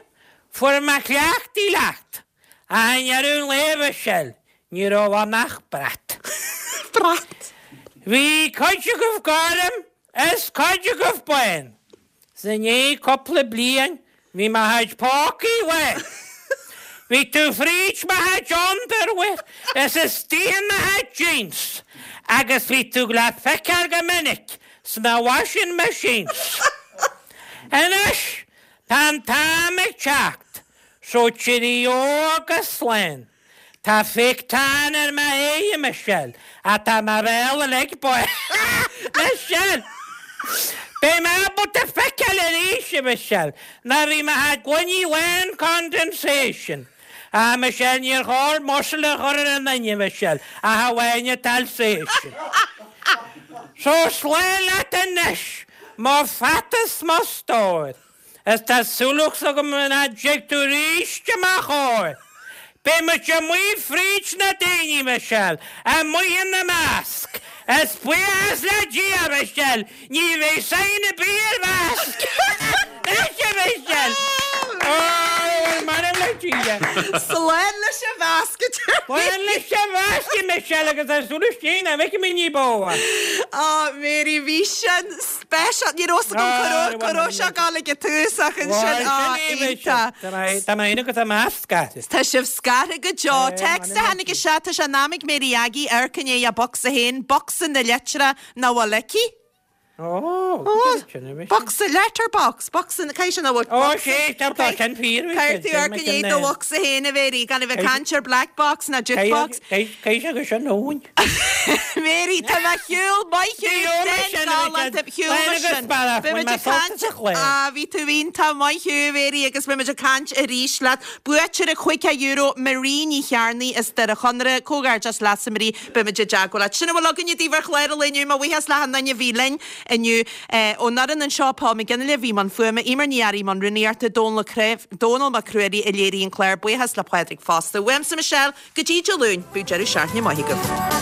O: fuair mé cleachtaithe leat. Ach i ndeireadh an lae, a Mhichelle, ní raibh ann ach brat.
A: Brat!
O: Bhí cuid agaibh gorm is cuid agaibh bán. 'S i ndiaidh cúpla bliain, bhí mo chuid pócaí lán. Bhí tú fríd mo chuid underwear is istigh i mo chuid jeans agus bhí tú le feiceáil go minic sna washing machines. Anois, tá an t-am ag teacht, so cheerio agus slán. Tá fake tan ar m'aghaidh, a Michelle, ach tá mo bhéal uilig bán. Michelle! Beidh mé ábalta feiceáil arís, a Michelle, nuair a bhí mo chuid gloiní lán condensation. Ah, Michelle, níor chóir masla a chur ar an duine, Michelle, ach amháin an t-Alsatian. So slán leat anois, mo pheata is mo stór. Is tá súil agam nach dtig tú arís i mo chomhair. Beidh muid amuigh fríd na daoine, Michelle, amuigh ina measc. Is buíochas le Dia, Michelle, ní bheidh sign ar bith ar mhask. Anois, a Michelle! Ó, m'anam le Dia.
A: Slán leis an mhask.
O: Slán leis an mhask, Michelle, agus tá súil istigh nach bhfeicfidh mé ní bó.
A: Á, Mary, bhí sin speisialta. Ní raibh a fhios agam go raibh sé ag dul ag an tús ach ansin, á, iontach.
O: Tá mé féin agus an masc scartha.
A: Tá sibh scartha go deo. Text a tháinig isteach, tá sé in am ag Mary Aggie amharc i ndiaidh a bocsa féin, bocsa na litreach nach bhfuil aici.
O: Ó,
A: Bocsa letterbox, bocsa caithfidh sé nach bhfuil
O: Ó, sé, tá tá sin fíor.
A: Caithfidh tú amharc i ndiaidh do bhocsa féin a Mhary, gan a bheith ag caint ar black box ná jukebox.
O: Caithfidh sé go sin nóin.
A: Mary, tá mé shiúl, maith thú, den galánta, shiúl mar sin. Beimid ag caint, á, bhí tú iontach maith thú, Mary, agus beimid ag caint arís leat. Buaiteoir caoga euro, Marie Ní Chearnaigh as Doire Chonaire, comhghairdeas leatsa Marie, beimid i dteagmháil leat. Sin a bhfuil againne daoibh ar chlár an lae inniu, mo bhuíochas le hachan duine a bhí linn inniu. Ón fhoireann anseo, Paul McGinley a bhí i mbun fuaime, Emer Ní Fhearraigh i mbun rúnaíochta, Dónal Dónal Mac Ruairí a léirigh an clár, buíochas le Pádraig fosta. Uaimse Michelle, go dtí Dé Luain, bíodh deireadh seachtaine maith agaibh.